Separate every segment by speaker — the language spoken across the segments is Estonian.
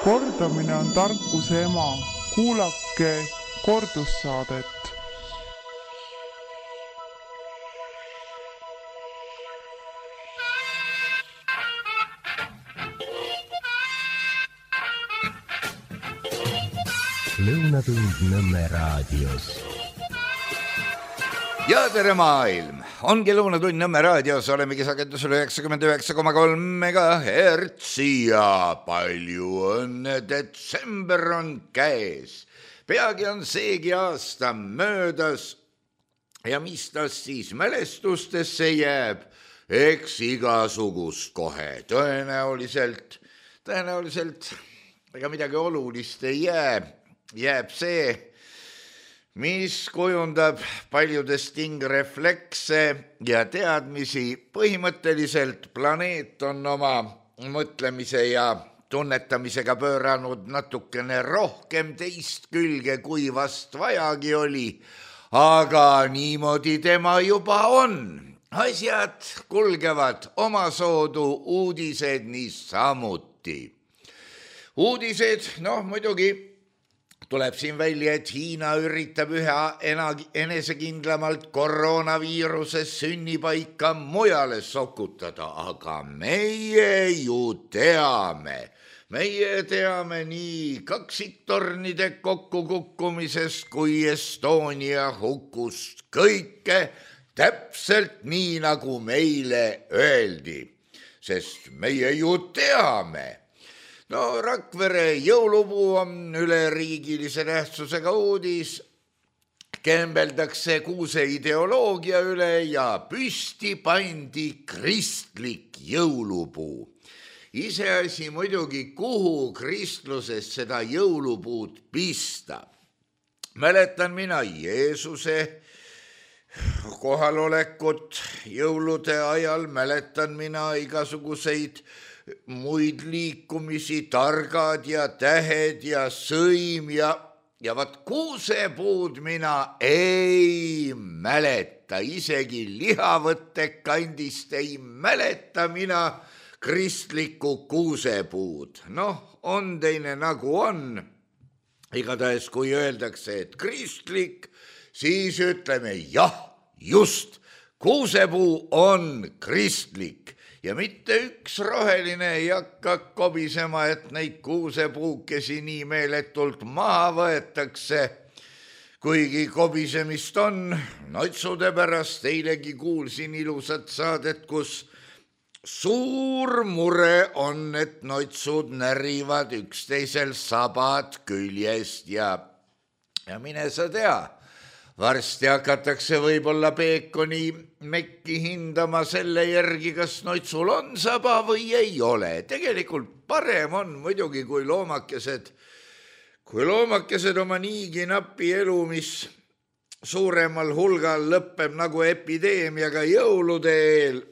Speaker 1: Kordamine on tarkuse ema. Kuulake kordussaadet.
Speaker 2: Lõunatund Nõmme raadios.
Speaker 3: Ja tere maailm! Ongi Lõunatund Nõmme raadios, olemegi sagedusel 99,3 MHz ja palju õnne, detsember on käes. Peagi on seegi aasta möödas ja mis tast siis mälestustesse jääb, eks igasugust kohe. Tõenäoliselt ega midagi olulist ei jääb see, mis kujundab paljudes tingreflekse ja teadmisi. Põhimõtteliselt planeet on oma mõtlemise ja tunnetamisega pööranud natukene rohkem teist külge, kui vast vajagi oli, aga niimoodi tema juba on. Asjad kulgevad omasoodu, uudised niisamuti. Uudised, muidugi tuleb siin välja, et Hiina üritab üha enesekindlamalt koroonaviirusest sünnipaika mujale sokutada, aga meie ju teame nii kaksiktornide kokkukukkumisest kui Estonia hukust kõike täpselt nii, nagu meile öeldi, sest meie ju teame. Rakvere jõulupuu on üleriigilise tähtsusega uudis, kembeldakse kuuse ideoloogia üle ja püsti pandi kristlik jõulupuu. Iseasi muidugi, kuhu kristluses seda jõulupuud pista. Mäletan mina Jeesuse kohalolekut jõulude ajal, mäletan mina igasuguseid muid liikumisi, targad ja tähed ja sõim ja vat kuusepuud mina ei mäleta, isegi lihavõttekandist ei mäleta mina kristlikku kuusepuud. On teine nagu on. Igatahes, kui öeldakse, et kristlik, siis ütleme jah, just, kuusepuu on kristlik. Ja mitte üks roheline ei hakka kobisema, et neid kuusepuukesi nii meeletult maha võetakse. Kuigi kobisemist on, notsude pärast eilegi kuulsin ilusat saadet, kus suur mure on, et notsud närivad üksteisel sabad küljest ja mine sa tea. Varsti hakatakse võib-olla peekoni mekki hindama selle järgi, kas notsul on saba või ei ole. Tegelikult parem on muidugi, kui loomakesed oma niigi napi elu, mis suuremal hulgal lõppeb nagu epideemiaga jõulude eel,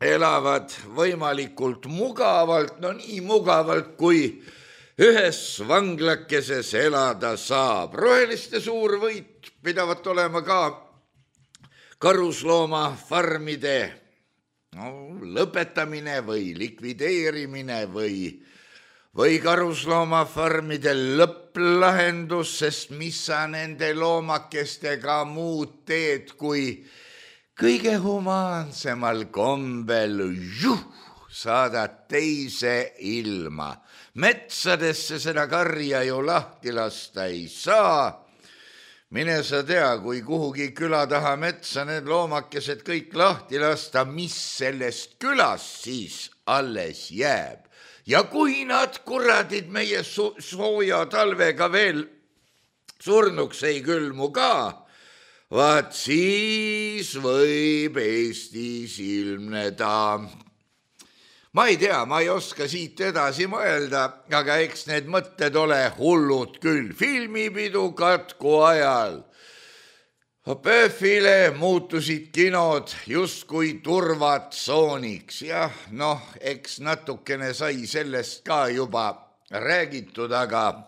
Speaker 3: elavad võimalikult mugavalt, nii mugavalt kui ühes vanglakeses elada saab. Roheliste suur võit pidavat olema ka karusloomafarmide lõpetamine või likvideerimine või karusloomafarmide lõpplahendus, sest mis sa nende loomakestega muud teed, kui kõige humaansemal kombel saadad teise ilma. Metsadesse seda karja ju lahti lasta ei saa. Mine sa tea, kui kuhugi küla taha metsa need loomakesed kõik lahti lasta, mis sellest külast siis alles jääb. Ja kui nad kuradid meie sooja talvega veel surnuks ei külmu ka, vaat siis võib Eestis ilmneda. Ma ei tea, ma ei oska siit edasi mõelda, aga eks need mõtted ole hullud küll. Filmipidu katku ajal. PÖFile muutusid kinod justkui turvatsooniks. Jah, eks natukene sai sellest ka juba räägitud, aga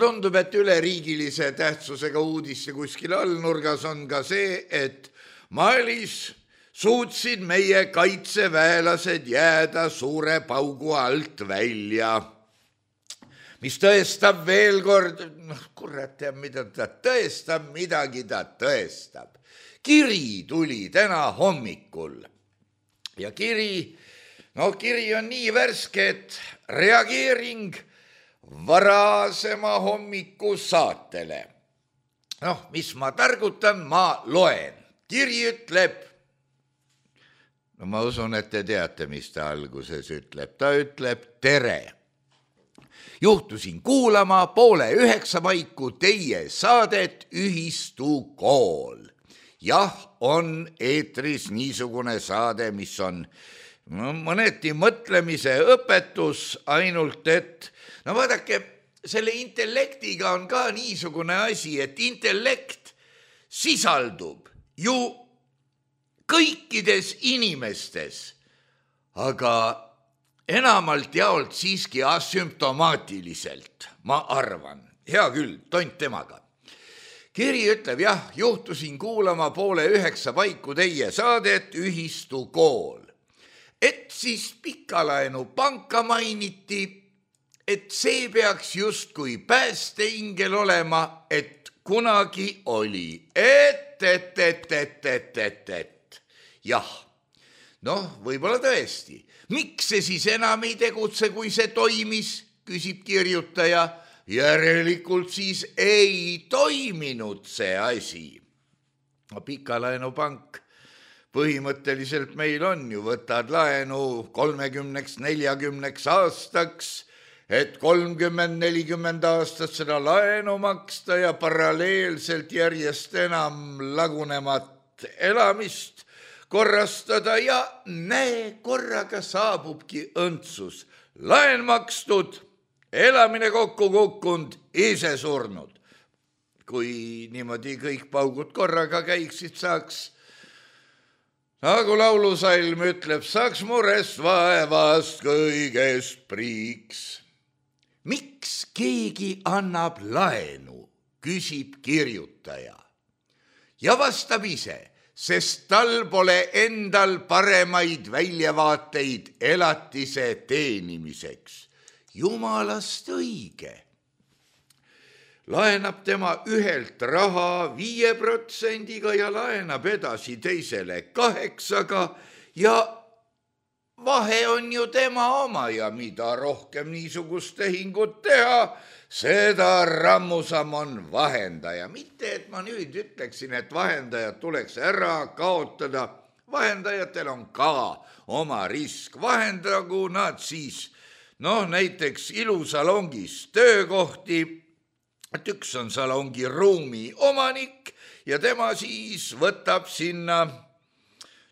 Speaker 3: tundub, et üleriigilise tähtsusega uudisse kuskil allnurgas on ka see, et Malis suutsid meie kaitseväelased jääda suure paugu alt välja. mis tõestab veel kord, kurat teab, mida ta tõestab, midagi ta tõestab. Kiri tuli täna hommikul ja kiri on nii värske, et reageering varasema hommiku saatele. Mis ma targutan, ma loen. Kiri ütleb, ma usun, et te teate, mis ta alguses ütleb. Ta ütleb tere. Juhtusin kuulama 8:30 paiku teie saadet Ühistukool. Jah, on eetris niisugune saade, mis on mõneti mõtlemise õpetus, ainult et vaadake, selle intellektiga on ka niisugune asi, et intellekt sisaldub ju kõikides inimestes, aga enamalt jaolt siiski asümptomaatiliselt, ma arvan. Hea küll, tont temaga. Kiri ütleb, jah, juhtusin kuulama 8:30 paiku teie saadet Ühistukool. Et siis Pikalaenu panka mainiti, et see peaks justkui päästeingel olema, et kunagi oli. Jah, võib-olla tõesti. Miks see siis enam ei tegutse, kui see toimis, küsib kirjutaja. Järelikult siis ei toiminud see asi. Pikalaenu pank põhimõtteliselt meil on ju, võtad laenu 30-40 aastaks, et 30-40 aastat seda laenu maksta ja paralleelselt järjest enam lagunemat elamist korrastada ja näe, korraga saabubki õndsus. Laen makstud, elamine kokku kukkunud, ise surnud. Kui niimoodi kõik paugud korraga käiksid, saaks, nagu laulusalm ütleb, saaks murest vaevast kõigest priiks. Miks keegi annab laenu, küsib kirjutaja. Ja vastab ise, sest tal pole endal paremaid väljavaateid elatise teenimiseks. Jumalast õige. Laenab tema ühelt raha 5% ja laenab edasi teisele 8% ja vahe on ju tema oma ja mida rohkem niisugust tehingut teha, seda rammusam on vahendaja. Mitte, et ma nüüd ütleksin, et vahendajad tuleks ära kaotada. Vahendajatel on ka oma risk. Vahendagu nad siis näiteks ilusalongis töökohti, et üks on salongi ruumi omanik ja tema siis võtab sinna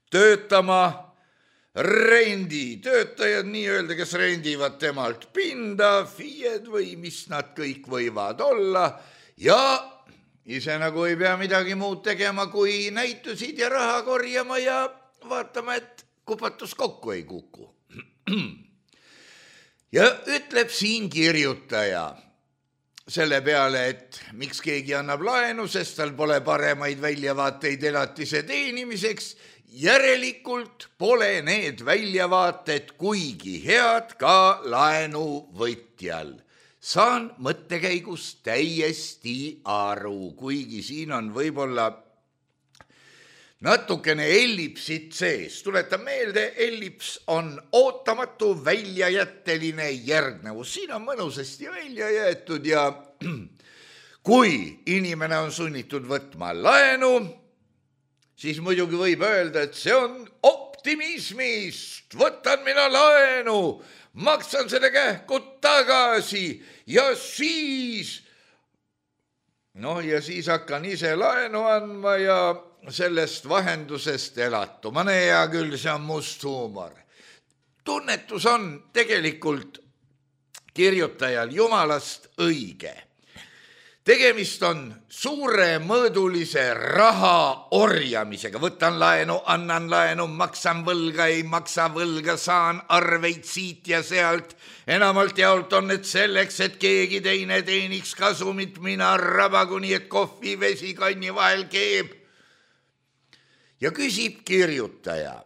Speaker 3: töötama renditöötajad, nii-öelda, kes rendivad temalt pinda, FIE-d või mis nad kõik võivad olla ja ise nagu ei pea midagi muud tegema, kui näitusid ja raha korjama ja vaatama, et kupatus kokku ei kuku. Ja ütleb siin kirjutaja selle peale, et miks keegi annab laenu, sest tal pole paremaid väljavaateid elatise teenimiseks, järelikult pole need väljavaated kuigi head ka laenuvõtjal. Saan mõttekäigust täiesti aru, kuigi siin on võib-olla natukene ellipsit sees. Tuletan meelde, ellips on ootamatu väljajätteline järgnevus. Siin on mõnusasti välja jäetud ja kui inimene on sunnitud võtma laenu, siis muidugi võib öelda, et see on optimismist. Võtan mina laenu, maksan selle kähku tagasi ja siis hakkan ise laenu andma ja sellest vahendusest elatuma. Hea küll, see on must huumor. Tunnetus on tegelikult kirjutajal jumalast õige. Tegemist on suuremõõdulise raha orjamisega. Võtan laenu, annan laenu, maksan võlga, ei maksa võlga, saan arveid siit ja sealt. Enamalt jaolt on need selleks, et keegi teine teeniks kasumit, mina rabagu nii, et kohvi vesi kanni vahel keeb. Ja küsib kirjutaja,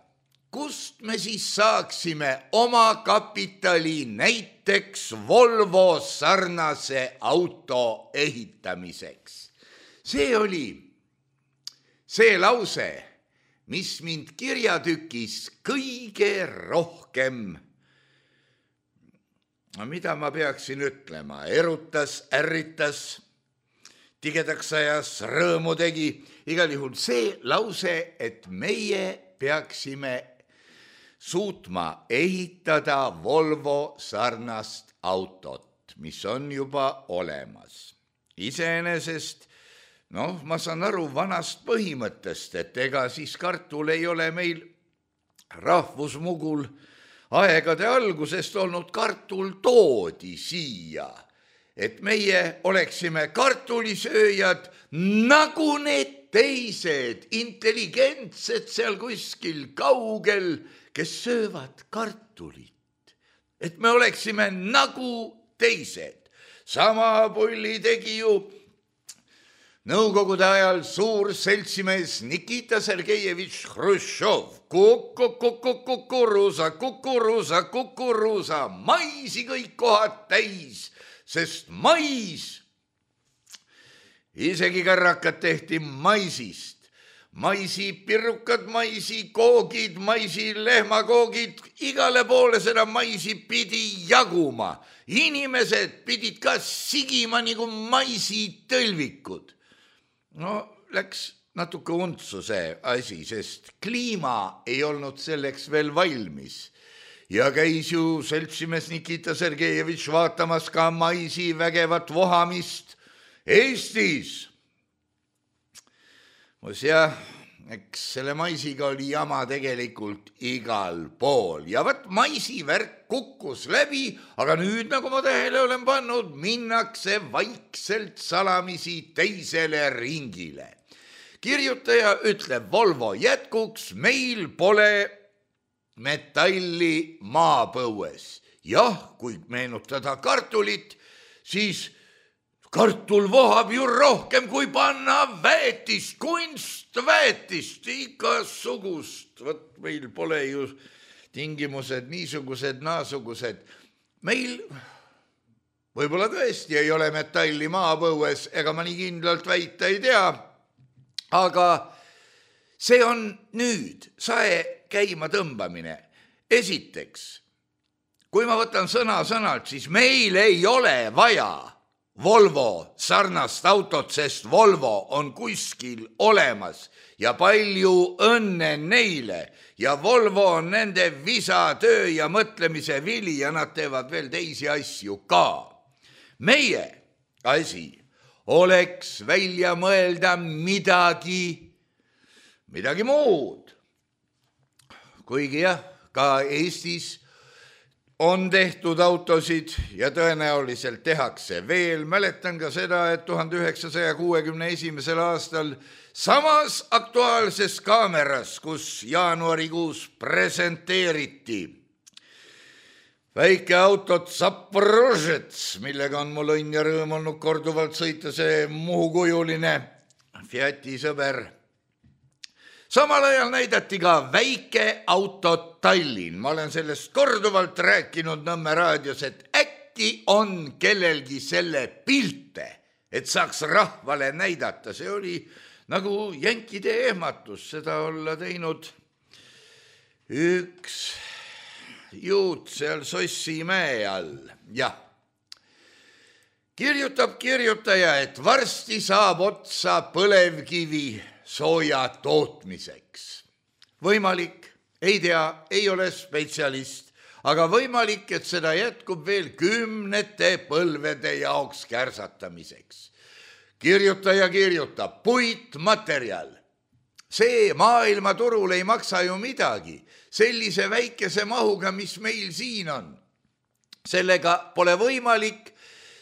Speaker 3: kust me siis saaksime oma kapitali näiteks Volvo sarnase auto ehitamiseks? See oli see lause, mis mind kirjatükis kõige rohkem, mida ma peaksin ütlema, erutas, ärritas, tigedaks ajas, rõõmu tegi. Igal juhul see lause, et meie peaksime suutma ehitada Volvo sarnast autot, mis on juba olemas. Iseenesest, ma saan aru vanast põhimõttest, et ega siis kartul ei ole meil rahvusmugul aegade algusest olnud, kartul toodi siia, et meie oleksime kartulisööjad nagu need teised intelligentsed seal kuskil kaugel, kes söövad kartulit. Et me oleksime nagu teised. Sama pulli tegi ju Nõukogude ajal suur seltsimees Nikita Sergejevitš Hruštšov. Kukuruusa, maisi kõik kohad täis, sest mais, isegi kärrakad tehti maisist. Maisipirrukad, maisikoogid, maisilehmakoogid, igale poole seda maisi pidi jaguma. Inimesed pidid ka sigima nagu maisitõlvikud. Läks natuke untsu see asi, sest kliima ei olnud selleks veel valmis. Ja käis ju seltsimees Nikita Sergejevitš vaatamas ka maisi vägevat vohamist Eestis. Eks selle maisiga oli jama tegelikult igal pool. Ja võt maisivärk kukkus läbi, aga nüüd, nagu ma tähele olen pannud, minnakse vaikselt salamisi teisele ringile. Kirjutaja ütleb Volvo jätkuks, meil pole metalli maapõues. Jah, kui meenutada kartulit, siis kartul vohab ju rohkem, kui panna väetist, kunstväetist, igasugust. Võt meil pole ju tingimused niisugused, naasugused. Meil võib-olla tõesti ei ole metalli maapõues, ega ma nii kindlalt väita ei tea, aga see on nüüd sae käima tõmbamine. Esiteks, kui ma võtan sõna-sõnalt, siis meil ei ole vaja Volvo sarnast autot, sest Volvo on kuskil olemas ja palju õnne neile. Ja Volvo on nende visa, töö ja mõtlemise vili ja nad teevad veel teisi asju ka. Meie asi oleks välja mõelda midagi muud. Kuigi jah, ka Eestis on tehtud autosid ja tõenäoliselt tehakse veel. Mäletan ka seda, et 1961. aastal samas Aktuaalses Kaameras, kus jaanuarikuus presenteeriti väikeautot Zaporožets, millega on mul õnn ja rõõm olnud korduvalt sõita, see muhukujuline Fiati sõber. Samal ajal näidati ka väikeautot Tallinn. Ma olen sellest korduvalt rääkinud Nõmme raadios, et äkki on kellelgi selle pilte, et saaks rahvale näidata. See oli nagu jänkide ehmatus, seda olla teinud üks juut seal Sossimäe all. Jah. Kirjutab kirjutaja, et varsti saab otsa põlevkivi sooja tootmiseks. Võimalik, ei tea, ei ole spetsialist, aga võimalik, et seda jätkub veel 10 põlvede jaoks kärsatamiseks. Kirjutaja kirjutab, puitmaterjal. See maailmaturul ei maksa ju midagi. Sellise väikese mahuga, mis meil siin on. Sellega pole võimalik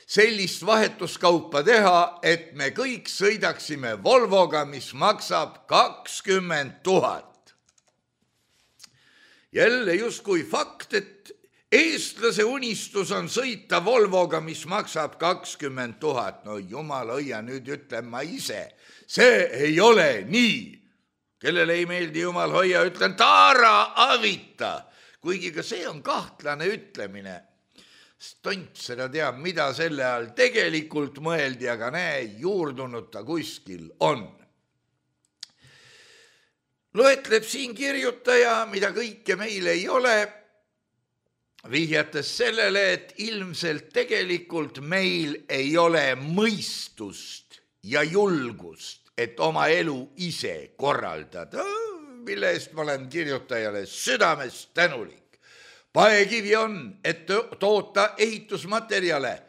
Speaker 3: sellist vahetuskaupa teha, et me kõik sõidaksime Volvoga, mis maksab 20 000. Jälle justkui fakt, et eestlase unistus on sõita Volvoga, mis maksab 20 000. No jumal hoia, nüüd ütlen ma ise. See ei ole nii. kellele ei meeldi jumal hoia, ütlen taara avita, kuigi ka see on kahtlane ütlemine. Tont seda teab, mida selle all tegelikult mõeldi, aga näe, juurdunud ta kuskil on. Loetleb siin kirjutaja, mida kõike meil ei ole, vihjates sellele, et ilmselt tegelikult meil ei ole mõistust ja julgust, et oma elu ise korraldada, mille eest ma olen kirjutajale südamest tänulik. Paekivi on, et toota ehitusmaterjale,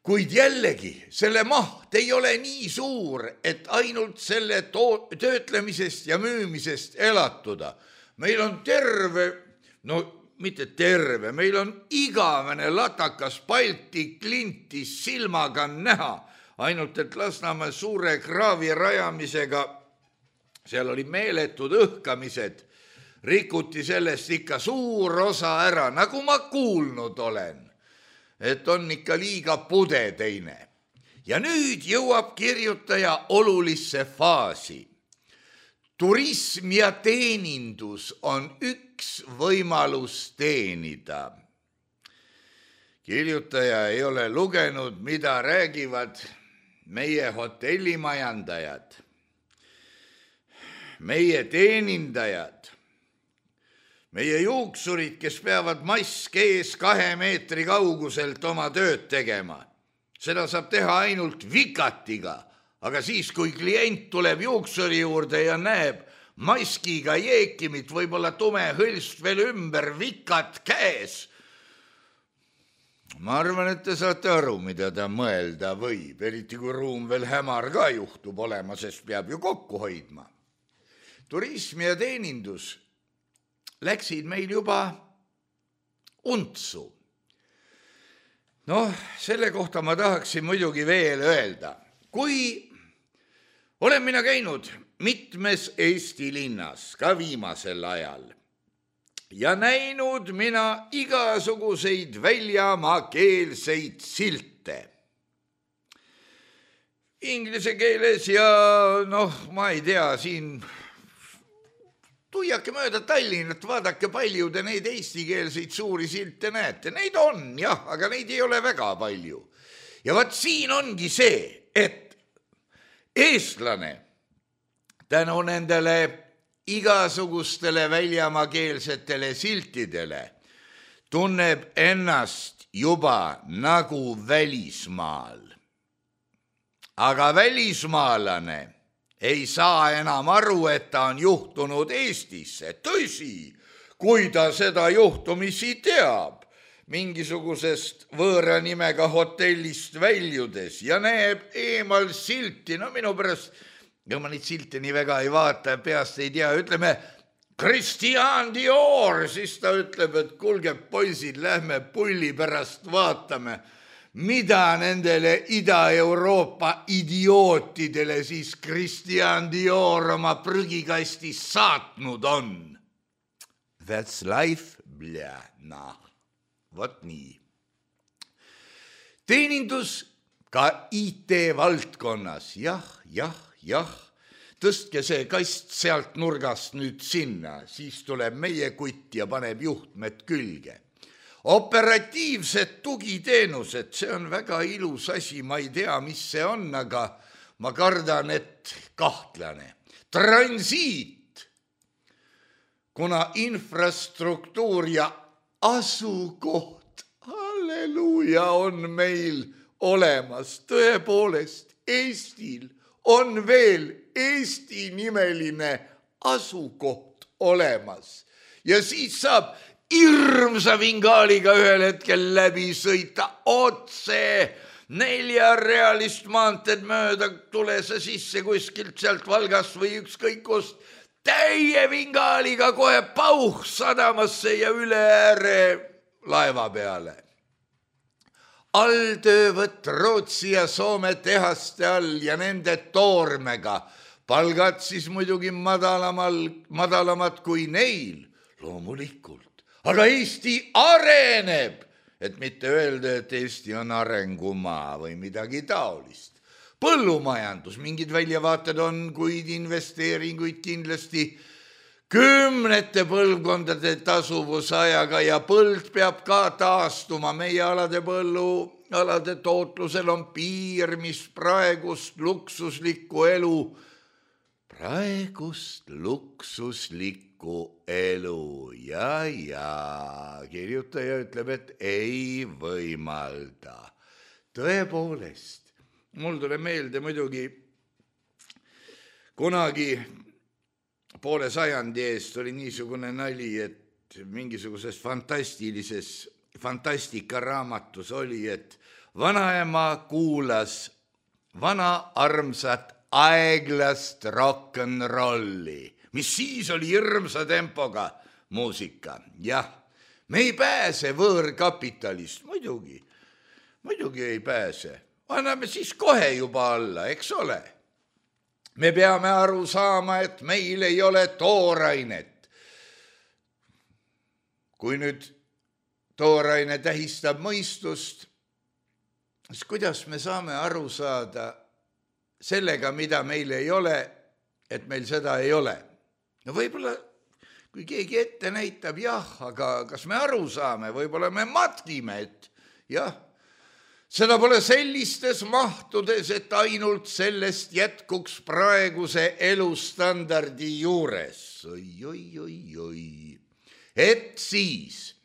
Speaker 3: kuid jällegi selle maht ei ole nii suur, et ainult selle töötlemisest ja müümisest elatuda. Meil on terve, mitte terve, meil on igavene latakas Balti klintis silmaga näha, ainult et Lasnamäe suure kraavi rajamisega, seal oli meeletud õhkamised, rikuti sellest ikka suur osa ära, nagu ma kuulnud olen, et on ikka liiga pude teine. Ja nüüd jõuab kirjutaja olulisse faasi. Turism ja teenindus on üks võimalus teenida. Kirjutaja ei ole lugenud, mida räägivad meie hotellimajandajad, meie teenindajad, meie juuksurid, kes peavad mask ees 2 meetri kauguselt oma tööd tegema. Seda saab teha ainult vikatiga, aga siis, kui klient tuleb juuksuri juurde ja näeb maskiga jeekimit, võib-olla tume hõlst veel ümber, vikat käes. Ma arvan, et te saate aru, mida ta mõelda võib, eriti kui ruum veel hämar ka juhtub olema, sest peab ju kokku hoidma. Turism ja teenindus läksid meil juba untsu. Selle kohta ma tahaksin muidugi veel öelda. Kui olen mina käinud mitmes Eesti linnas, ka viimasel ajal, ja näinud mina igasuguseid väljamaakeelseid silte. Inglise keeles ja ma ei tea, siin tuiake mööda Tallinnat, vaadake palju te neid eestikeelseid suuri silte näete. Neid on, jah, aga neid ei ole väga palju. Ja vaat siin ongi see, et eestlane tänu nendele igasugustele väljamaakeelsetele siltidele tunneb ennast juba nagu välismaal. Aga välismaalane ei saa enam aru, et ta on juhtunud Eestisse. Tõsi, kui ta seda juhtumisi teab, mingisugusest võõra nimega hotellist väljudes ja näeb eemal silti, minu pärast, ja ma neid silte nii väga ei vaata, peast ei tea, ütleme Christian Dior, siis ta ütleb, et kuulge poisid, lähme pulli pärast vaatame, mida nendele Ida-Euroopa idiootidele siis Christian Dior oma prügikastis saatnud on. That's life, vot nii. Teenindus ka IT-valdkonnas, jah, tõstke see kast sealt nurgast nüüd sinna, siis tuleb meie kutt ja paneb juhtmed külge. Operatiivsed tugiteenused, see on väga ilus asi, ma ei tea, mis see on, aga ma kardan, et kahtlane. Transiit, kuna infrastruktuur ja asukoht, halleluuja, on meil olemas. Tõepoolest, Eestil on veel Eesti-nimeline asukoht olemas. Ja siis saab hirmsa vingaaliga ühel hetkel läbi sõita otse 4-realist maanteed mööda, tule sa sisse kuskilt sealt Valgast või ükskõik kust, täie vingaaliga kohe pauh sadamasse ja üle ääre laeva peale. Alltöövõtt Rootsi ja Soome tehaste all ja nende toormega, palgad siis muidugi madalamad kui neil, loomulikult. Aga Eesti areneb, et mitte öelda, et Eesti on arengumaa või midagi taolist. Põllumajandus, mingid väljavaated on, kuid investeeringuid kindlasti kümnete põlvkondade tasuvusajaga ja põld peab ka taastuma. Meie põllualade tootlusel on piir, mis praegust luksuslikku elu ja kirjutaja ütleb, et ei võimalda. Tõepoolest, mul tuleb meelde muidugi kunagi poole sajandi eest oli niisugune nali, et mingisuguses fantastikaraamatus oli, et vanaema kuulas vana armsat aeglast rock'n'rolli, mis siis oli hirmsa tempoga muusika. Jah, me ei pääse võõrkapitalist, muidugi ei pääse. Anname siis kohe juba alla, eks ole. Me peame aru saama, et meil ei ole toorainet. Kui nüüd tooraine tähistab mõistust, siis kuidas me saame aru saada sellega, mida meil ei ole, et meil seda ei ole? No võib-olla, kui keegi ette näitab, jah, aga kas me aru saame? Võib-olla me matkime, et jah, seda pole sellistes mahtudes, et ainult sellest jätkuks praeguse elustandardi juures. Oi. Et siis,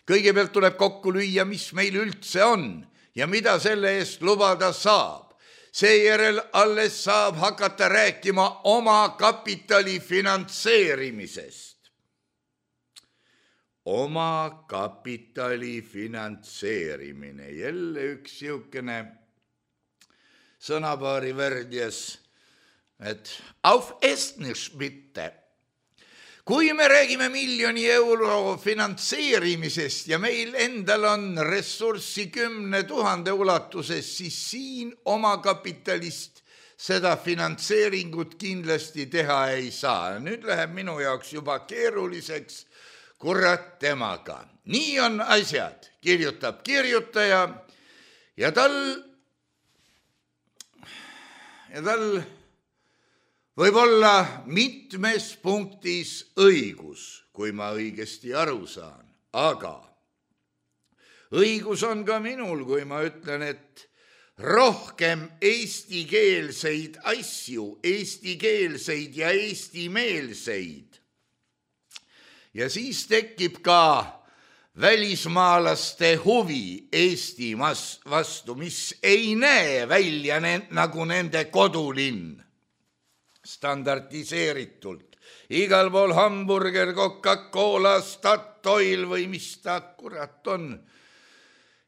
Speaker 3: kõigepealt tuleb kokku lüüa, mis meil üldse on ja mida selle eest lubada saab. Seejärel alles saab hakata rääkima oma kapitali finantseerimisest. Oma kapitali finantseerimine. Jälle üks siukene sõnapaari värdjas, et auf Estnisch bitte. Kui me räägime miljoni euro finantseerimisest ja meil endal on ressurssi 10 000 ulatuses, siis siin oma kapitalist seda finantseeringut kindlasti teha ei saa. Nüüd läheb minu jaoks juba keeruliseks, kurat temaga. Nii on asjad, kirjutab kirjutaja ja tal võib olla mitmes punktis õigus, kui ma õigesti aru saan. Aga õigus on ka minul, kui ma ütlen, et rohkem eestikeelseid asju, eestikeelseid ja eestimeelseid. Ja siis tekib ka välismaalaste huvi Eesti vastu, mis ei näe välja nagu nende kodulinn. Standardiseeritult. Igal pool hamburger, Coca-Cola, Statoil või mis ta kurat on.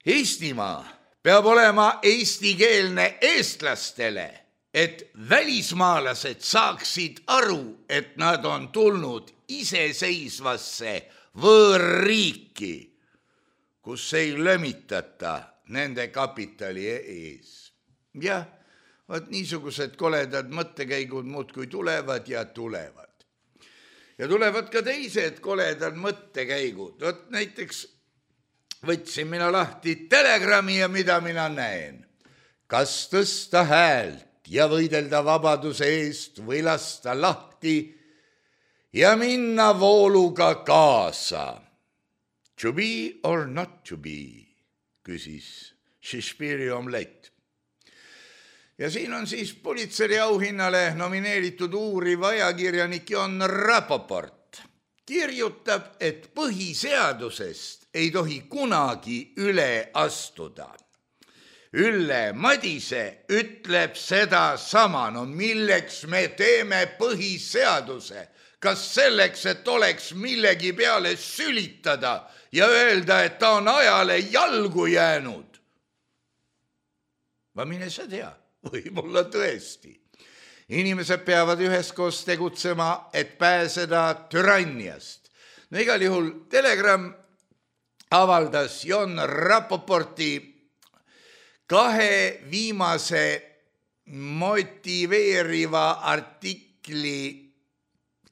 Speaker 3: Eestimaa peab olema eestikeelne eestlastele, et välismaalased saaksid aru, et nad on tulnud iseseisvasse võõrriiki, kus ei lömitata nende kapitali ees. Jah, vaat niisugused koledad mõttekäigud muudkui tulevad ja tulevad. Ja tulevad ka teised koledad mõttekäigud. Vot näiteks võtsin mina lahti Telegrami ja mida mina näen. Kas tõsta häält ja võidelda vabaduse eest või lasta lahti ja minna vooluga kaasa? To be or not to be, küsis Shakespeare'i omlett. Ja siin on siis Pulitzeri auhinnale nomineeritud uuriv ajakirjanik Jon Rapoport. Kirjutab, et põhiseadusest ei tohi kunagi üle astuda. Ülle Madise ütleb seda sama, no milleks me teeme põhiseaduse? Kas selleks, et oleks millegi peale sülitada ja öelda, et ta on ajale jalgu jäänud? Ma mine sa tea. Võib-olla tõesti. Inimesed peavad üheskoos tegutsema, et pääseda türanniast. No igal juhul Telegram avaldas Jon Rapoporti 2 viimase motiveeriva artikli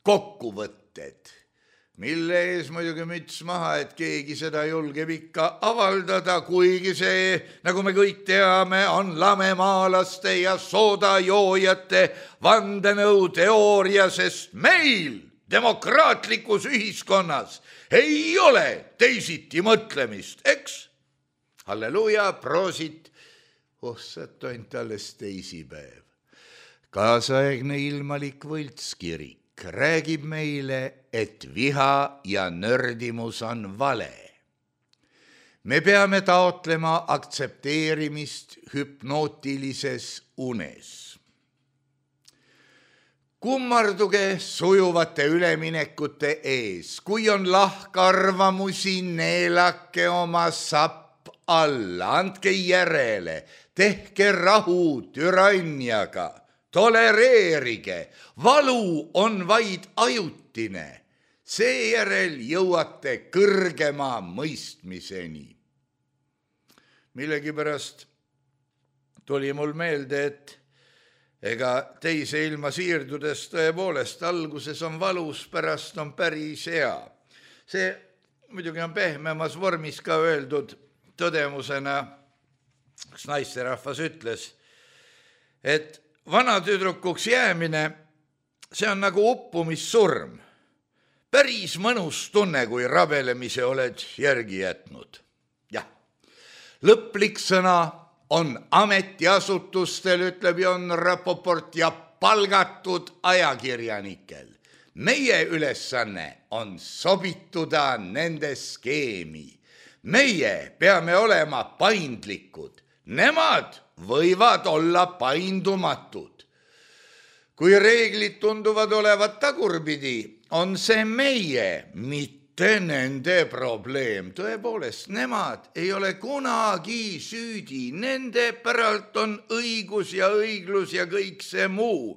Speaker 3: kokkuvõtted, mille ees muidugi müts maha, et keegi seda julgeb ikka avaldada, kuigi see, nagu me kõik teame, on lamemaalaste ja soodajoojate vandenõuteooria, sest meil demokraatlikus ühiskonnas ei ole teisiti mõtlemist, eks? Halleluuja, proosit, ossat ainult alles teisipäev. Kaasaegne ilmalik võltskirik räägib meile, et viha ja nördimus on vale. Me peame taotlema aktsepteerimist hüpnootilises unes. Kummarduge sujuvate üleminekute ees, kui on lahkarvamusi, neelake oma sapp alla, andke järele, tehke rahu türanniaga. Tolereerige, valu on vaid ajutine, seejärel jõuate kõrgema mõistmiseni. Millegipärast tuli mul meelde, et ega teise ilma siirdudes tõepoolest alguses on valus, pärast on päris hea. See muidugi on pehmemas vormis ka öeldud tõdemusena, kus naisterahvas ütles, et vanatüdrukuks jäämine, see on nagu uppumissurm. Päris mõnus tunne, kui rabelemise oled järgi jätnud. Jah, lõplik sõna on ametiasutustel, ütleb Jon Rapoport, ja palgatud ajakirjanikel. Meie ülesanne on sobituda nende skeemi. Meie peame olema paindlikud. Nemad võivad olla paindumatud. Kui reeglid tunduvad olevat tagurpidi, on see meie, mitte nende probleem. Tõepoolest, nemad ei ole kunagi süüdi. Nende päralt on õigus ja õiglus ja kõik see muu.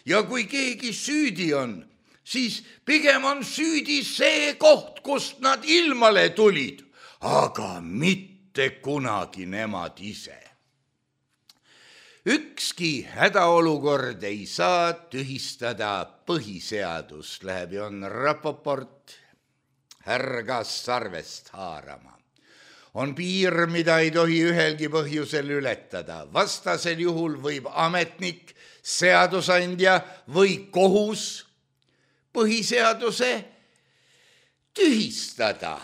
Speaker 3: Ja kui keegi süüdi on, siis pigem on süüdi see koht, kust nad ilmale tulid, aga mitte kunagi nemad ise. Ükski hädaolukord ei saa tühistada põhiseadust, läheb Jon Rapoport härgas sarvest haarama. On piir, mida ei tohi ühelgi põhjusel ületada. Vastasel juhul võib ametnik, seadusandja või kohus põhiseaduse tühistada,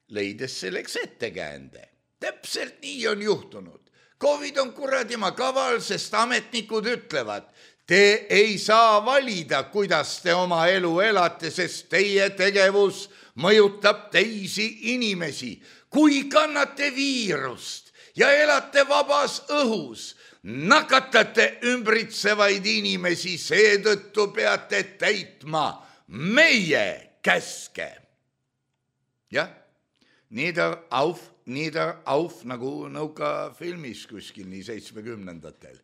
Speaker 3: leides selleks ettekäände. Täpselt nii on juhtunud. COVID on kuradima kaval, sest ametnikud ütlevad, te ei saa valida, kuidas te oma elu elate, sest teie tegevus mõjutab teisi inimesi. Kui kannate viirust ja elate vabas õhus, nakatate ümbritsevaid inimesi, seetõttu peate täitma meie käske. Jah, nieder auf, nagu nõukafilmis kuskil nii 70-ndatel.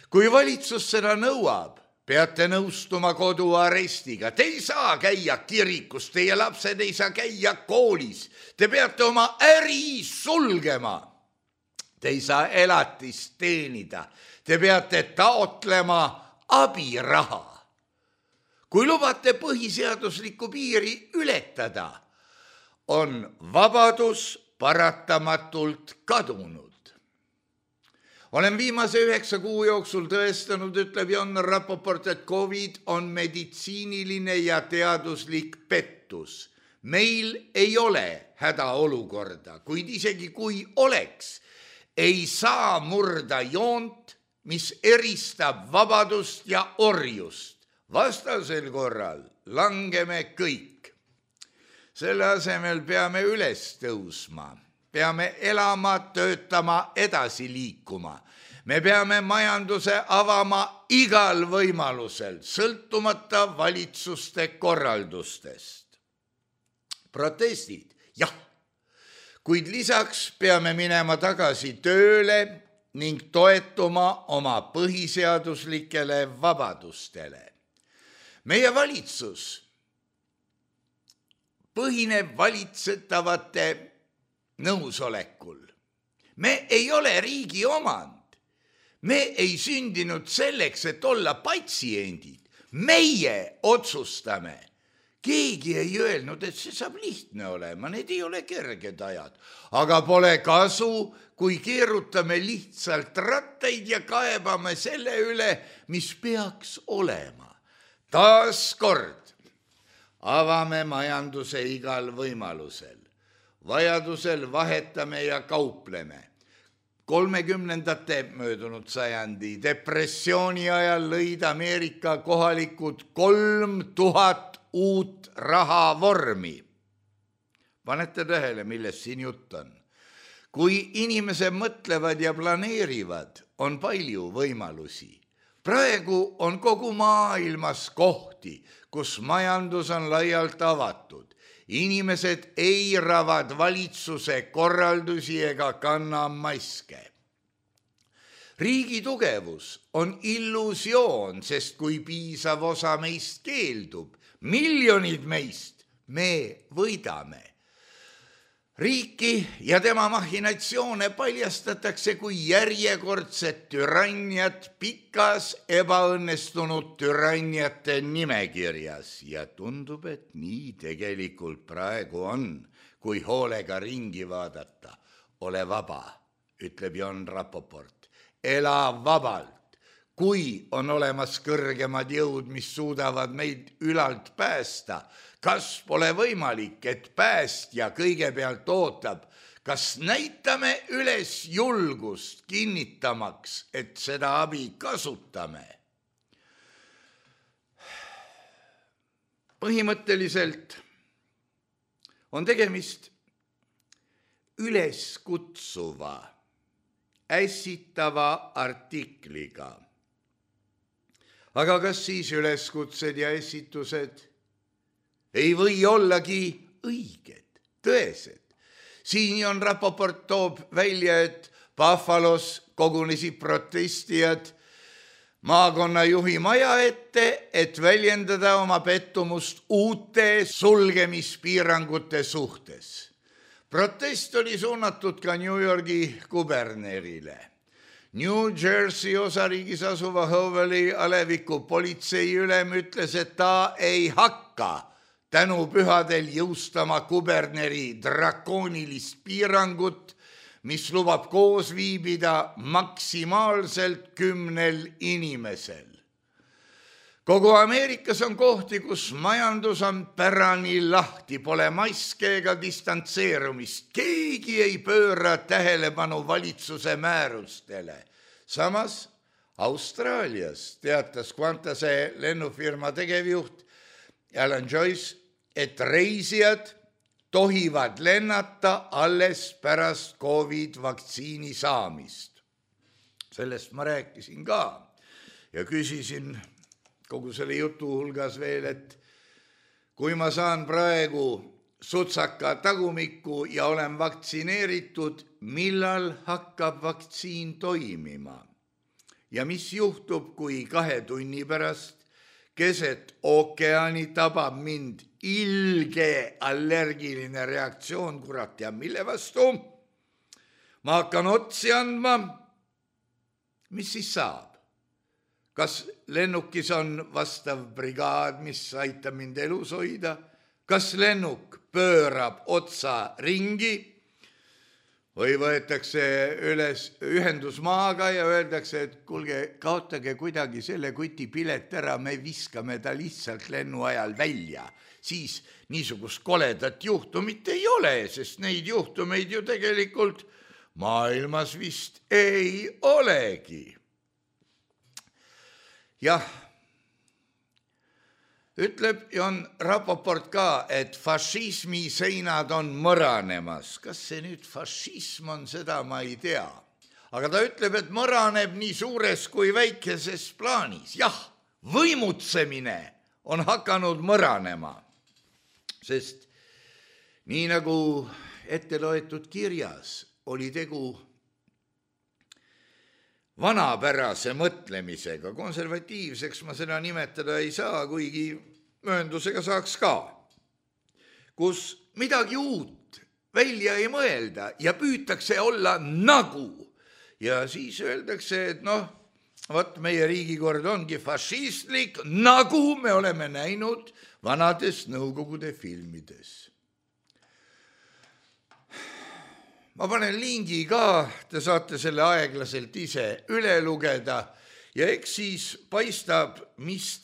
Speaker 3: Kui valitsus seda nõuab, peate nõustuma koduarestiga. Te ei saa käia kirikus, teie lapsed ei saa käia koolis. Te peate oma äri sulgema. Te ei saa elatist teenida. Te peate taotlema abiraha. Kui lubate põhiseaduslikku piiri ületada, on vabadus paratamatult kadunud. Olen viimase 9 kuu jooksul tõestanud, ütleb Jon Rapoport, et COVID on meditsiiniline ja teaduslik pettus. Meil ei ole hädaolukorda, kuid isegi kui oleks, ei saa murda joont, mis eristab vabadust ja orjust. Vastasel korral langeme kõik. Selle asemel peame üles tõusma. Peame elama, töötama, edasi liikuma. Me peame majanduse avama igal võimalusel, sõltumata valitsuste korraldustest. Protestid, jah, kuid lisaks peame minema tagasi tööle ning toetuma oma põhiseaduslikele vabadustele. Meie valitsus põhineb valitsetavate nõusolekul. Me ei ole riigi omand. Me ei sündinud selleks, et olla patsiendid. Meie otsustame, Keegi ei öelnud, et see saab lihtne olema, need ei ole kerged ajad. Aga pole kasu, kui keerutame lihtsalt rattaid ja kaebame selle üle, mis peaks olema. Taas kord avame majanduse igal võimalusel. Vajadusel vahetame ja kaupleme. 30ndate möödunud sajandi depressiooni ajal lõid Ameerika kohalikud 3000 uut rahavormi. Panete tähele, millest siin jutt on. Kui inimesed mõtlevad ja planeerivad, on palju võimalusi. Praegu on kogu maailmas kohti, kus majandus on laialt avatud. Inimesed eiravad valitsuse korraldusi ega kanna maske. Riigi tugevus on illusioon, sest kui piisav osa meist keeldub, miljonid meist, me võidame. Riiki ja tema machinatsioone paljastatakse kui järjekordset türanniat pikas ebaõnnestunud türanniate nimekirjas ja tundub, et nii tegelikult praegu on, kui hoolega ringi vaadata. Ole vaba, ütleb Jon Rapoport. Ela vabalt. Kui on olemas kõrgemad jõud, mis suudavad meid ülalt päästa, kas pole võimalik, et päästja kõigepealt ootab, kas näitame üles julgust kinnitamaks, et seda abi kasutame? Põhimõtteliselt on tegemist üleskutsuva, ässitava artikliga. Aga kas siis üleskutsed ja ässitused ei või ollagi õiged, tõesed? Siin Jon Rapoport toob välja, et Buffalos kogunesid protestijad maakonnajuhi maja ette, et väljendada oma pettumust uute sulgemispiirangute suhtes. Protest oli suunatud ka New Yorgi kubernerile. New Jersey osariigis asuva Howelli aleviku politseiülem ütles, et ta ei hakka tänupühadel jõustama kuberneri drakoonilist piirangut, mis lubab koos viibida maksimaalselt 10 inimesel. Kogu Ameerikas on kohti, kus majandus on pärani lahti, pole maske ega distantseerumist. Keegi ei pööra tähelepanu valitsuse määrustele. Samas Austraalias teatas Qantase lennufirma tegevjuht Alan Joyce, et reisijad tohivad lennata alles pärast COVID-vaktsiini saamist. Sellest ma rääkisin ka ja küsisin kogu selle jutu hulgas veel, et kui ma saan praegu sutsaka tagumikku ja olen vaktsineeritud, millal hakkab vaktsiin toimima? Ja mis juhtub, kui 2 tunni pärast keset ookeani tabab mind ilge allergiline reaktsioon, kurat ja mille vastu? Ma hakkan otsi andma, mis siis saab? Kas lennukis on vastav brigaad, mis aitab mind elus hoida? Kas lennuk pöörab otsa ringi või võetakse üles ühendus maaga ja öeldakse, et kuulge, kaotage kuidagi selle kuti pilet ära, me viskame ta lihtsalt lennu ajal välja. Siis niisugust koledat juhtumit ei ole, sest neid juhtumeid ju tegelikult maailmas vist ei olegi. Jah, ütleb Jon Rapoport ka, et fašismi seinad on mõranemas. Kas see nüüd fašism on, seda ma ei tea. Aga ta ütleb, et mõraneb nii suures kui väikeses plaanis. Jah, võimutsemine on hakanud mõranema, sest nii nagu ette loetud kirjas oli tegu vanapärase mõtlemisega, konservatiivseks ma seda nimetada ei saa, kuigi mööndusega saaks ka, kus midagi uut välja ei mõelda ja püütakse olla nagu. Ja siis öeldakse, et vot meie riigikord ongi fašistlik, nagu me oleme näinud vanades Nõukogude filmides. Ma panen lingi ka, te saate selle aeglaselt ise üle lugeda ja eks siis paistab, mis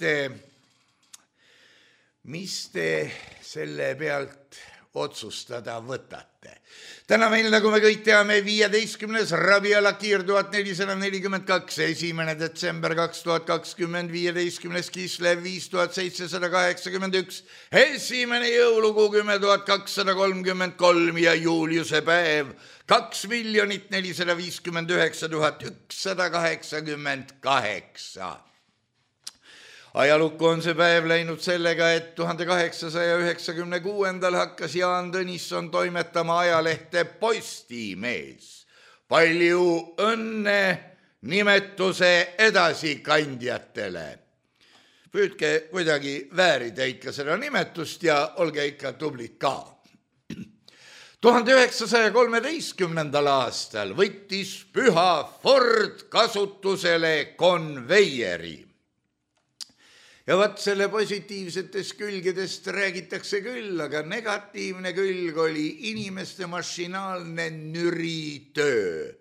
Speaker 3: te selle pealt otsustada võtate. Täna meil, nagu me kõik teame, 15. Rabiala Kiir 1442, 1. detsember 2020, 15. Kislev 5781, 1. jõulukuu 10.233 ja Juliuse päev 2 459 188. Ajalukku on see päev läinud sellega, et 1896. hakkas Jaan Tõnisson toimetama ajalehte Postimees. Palju õnne nimetuse edasikandjatele. Püüdke kuidagi väärida ikka seda nimetust ja olge ikka tublid ka. 1913. aastal võttis Püha Ford kasutusele konveieri. Ja vaat selle positiivsetest külgedest räägitakse küll, aga negatiivne külg oli inimeste mašinaalne nüritöö,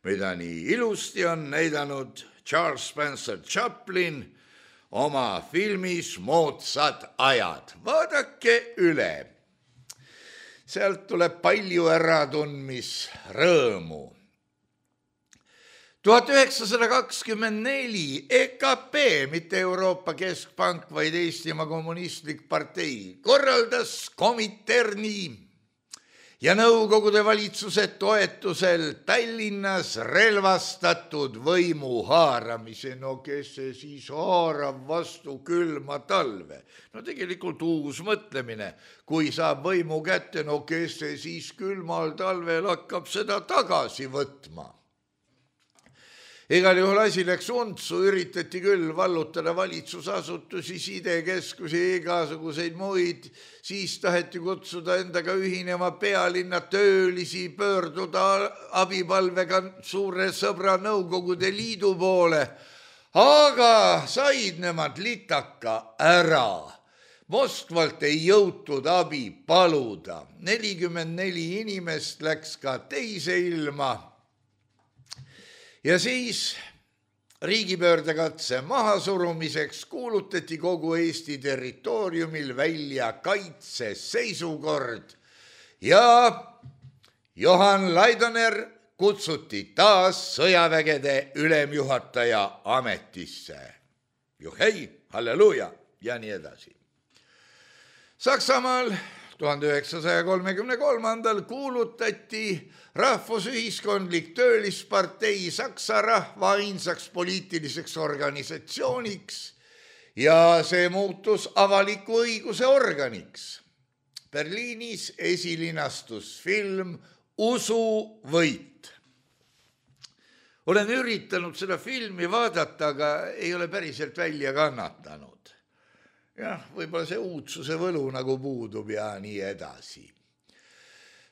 Speaker 3: mida nii ilusti on näidanud Charles Spencer Chaplin oma filmis Moodsad ajad. Vaadake üle. Sealt tuleb palju äratundmisrõõmu. 1924 EKP, mitte Euroopa Keskpank, vaid Eestimaa Kommunistlik partei, korraldas Kominterni ja Nõukogude valitsuse toetusel Tallinnas relvastatud võimu haaramise. No kes see siis haarab vastu külma talve? No tegelikult uus mõtlemine. Kui saab võimu kätte, no kes see siis külmal talvel hakkab seda tagasi võtma? Igal juhul asi läks untsu, üritati küll vallutada valitsusasutusi, sidekeskusi, igasuguseid muid, siis taheti kutsuda endaga ühinema pealinna töölisi, pöörduda abipalvega suure sõbra Nõukogude Liidu poole, aga said nemad litaka ära. Moskvalt ei jõutud abi paluda. 44 inimest läks ka teise ilma. Ja siis riigipöördekatse mahasurumiseks kuulutati kogu Eesti territooriumil välja kaitseseisukord ja Johan Laidoner kutsuti taas sõjavägede ülemjuhataja ametisse. Juhei, halleluuja ja nii edasi. Saksamaal 1933. kuulutati Rahvusühiskondlik töölispartei Saksa rahva ainsaks poliitiliseks organisatsiooniks ja see muutus avaliku õiguse organiks. Berliinis esilinastus film Usuvõit. Olen üritanud seda filmi vaadata, aga ei ole päriselt välja kannatanud. Jah, võib-olla see uudsuse võlu nagu puudub ja nii edasi.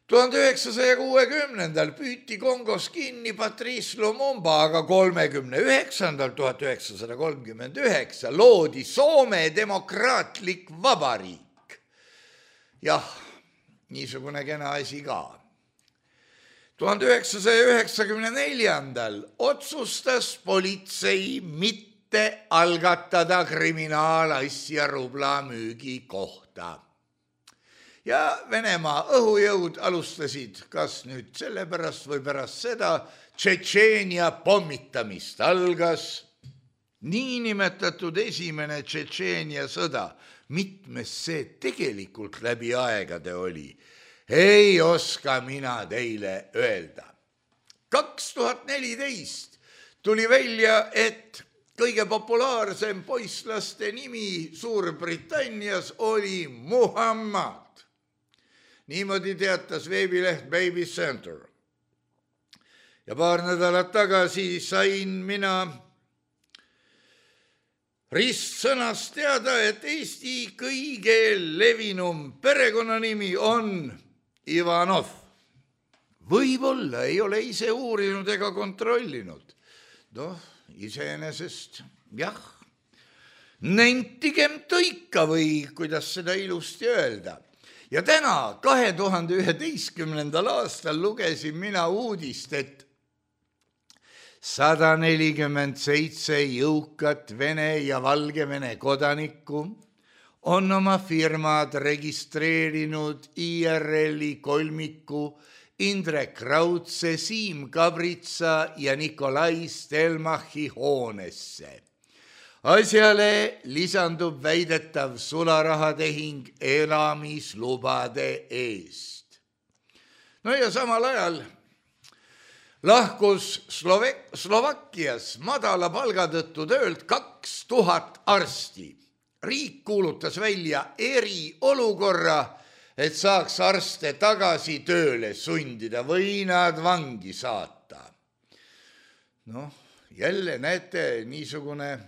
Speaker 3: 1960. püüti Kongos kinni Patrice Lumumba, aga 1939. loodi Soome demokraatlik vabariik. Jah, niisugune kena asi ka. 1994. otsustas politsei mitte algatada kriminaalasja rubla müügi kohta. Ja Venemaa õhujõud alustasid, kas nüüd sellepärast või pärast seda, Tšetšeenia pommitamist. Algas niinimetatud esimene Tšetšeenia sõda. Mitmes see tegelikult läbi aegade oli? Ei oska mina teile öelda. 2014 tuli välja, et kõige populaarsem poisslaste nimi Suurbritannias oli Muhammad. Niimoodi teatas veebileht Baby Center. Ja paar nädalat tagasi sain mina ristsõnast teada, et Eesti kõige levinum perekonnanimi on Ivanov. Võib-olla ei ole ise uurinud ega kontrollinud. iseenesest, jah, nentigem tõika või kuidas seda ilusti öelda. Ja täna 2011. aastal lugesin mina uudist, et 147 jõukat Vene ja Valgevene kodanikku on oma firmad registreerinud IRL-i kolmiku Indrek Raudse, Siim Kabritsa ja Nikolai Stelmachi hoonesse. Asjale lisandub väidetav sularahatehing elamislubade eest. No ja samal ajal lahkus Slovakkias madala palga tõttu töölt 2000 arsti. Riik kuulutas välja eriolukorra, et saaks arste tagasi tööle sundida või nad vangi saata. Noh, jälle näete niisugune,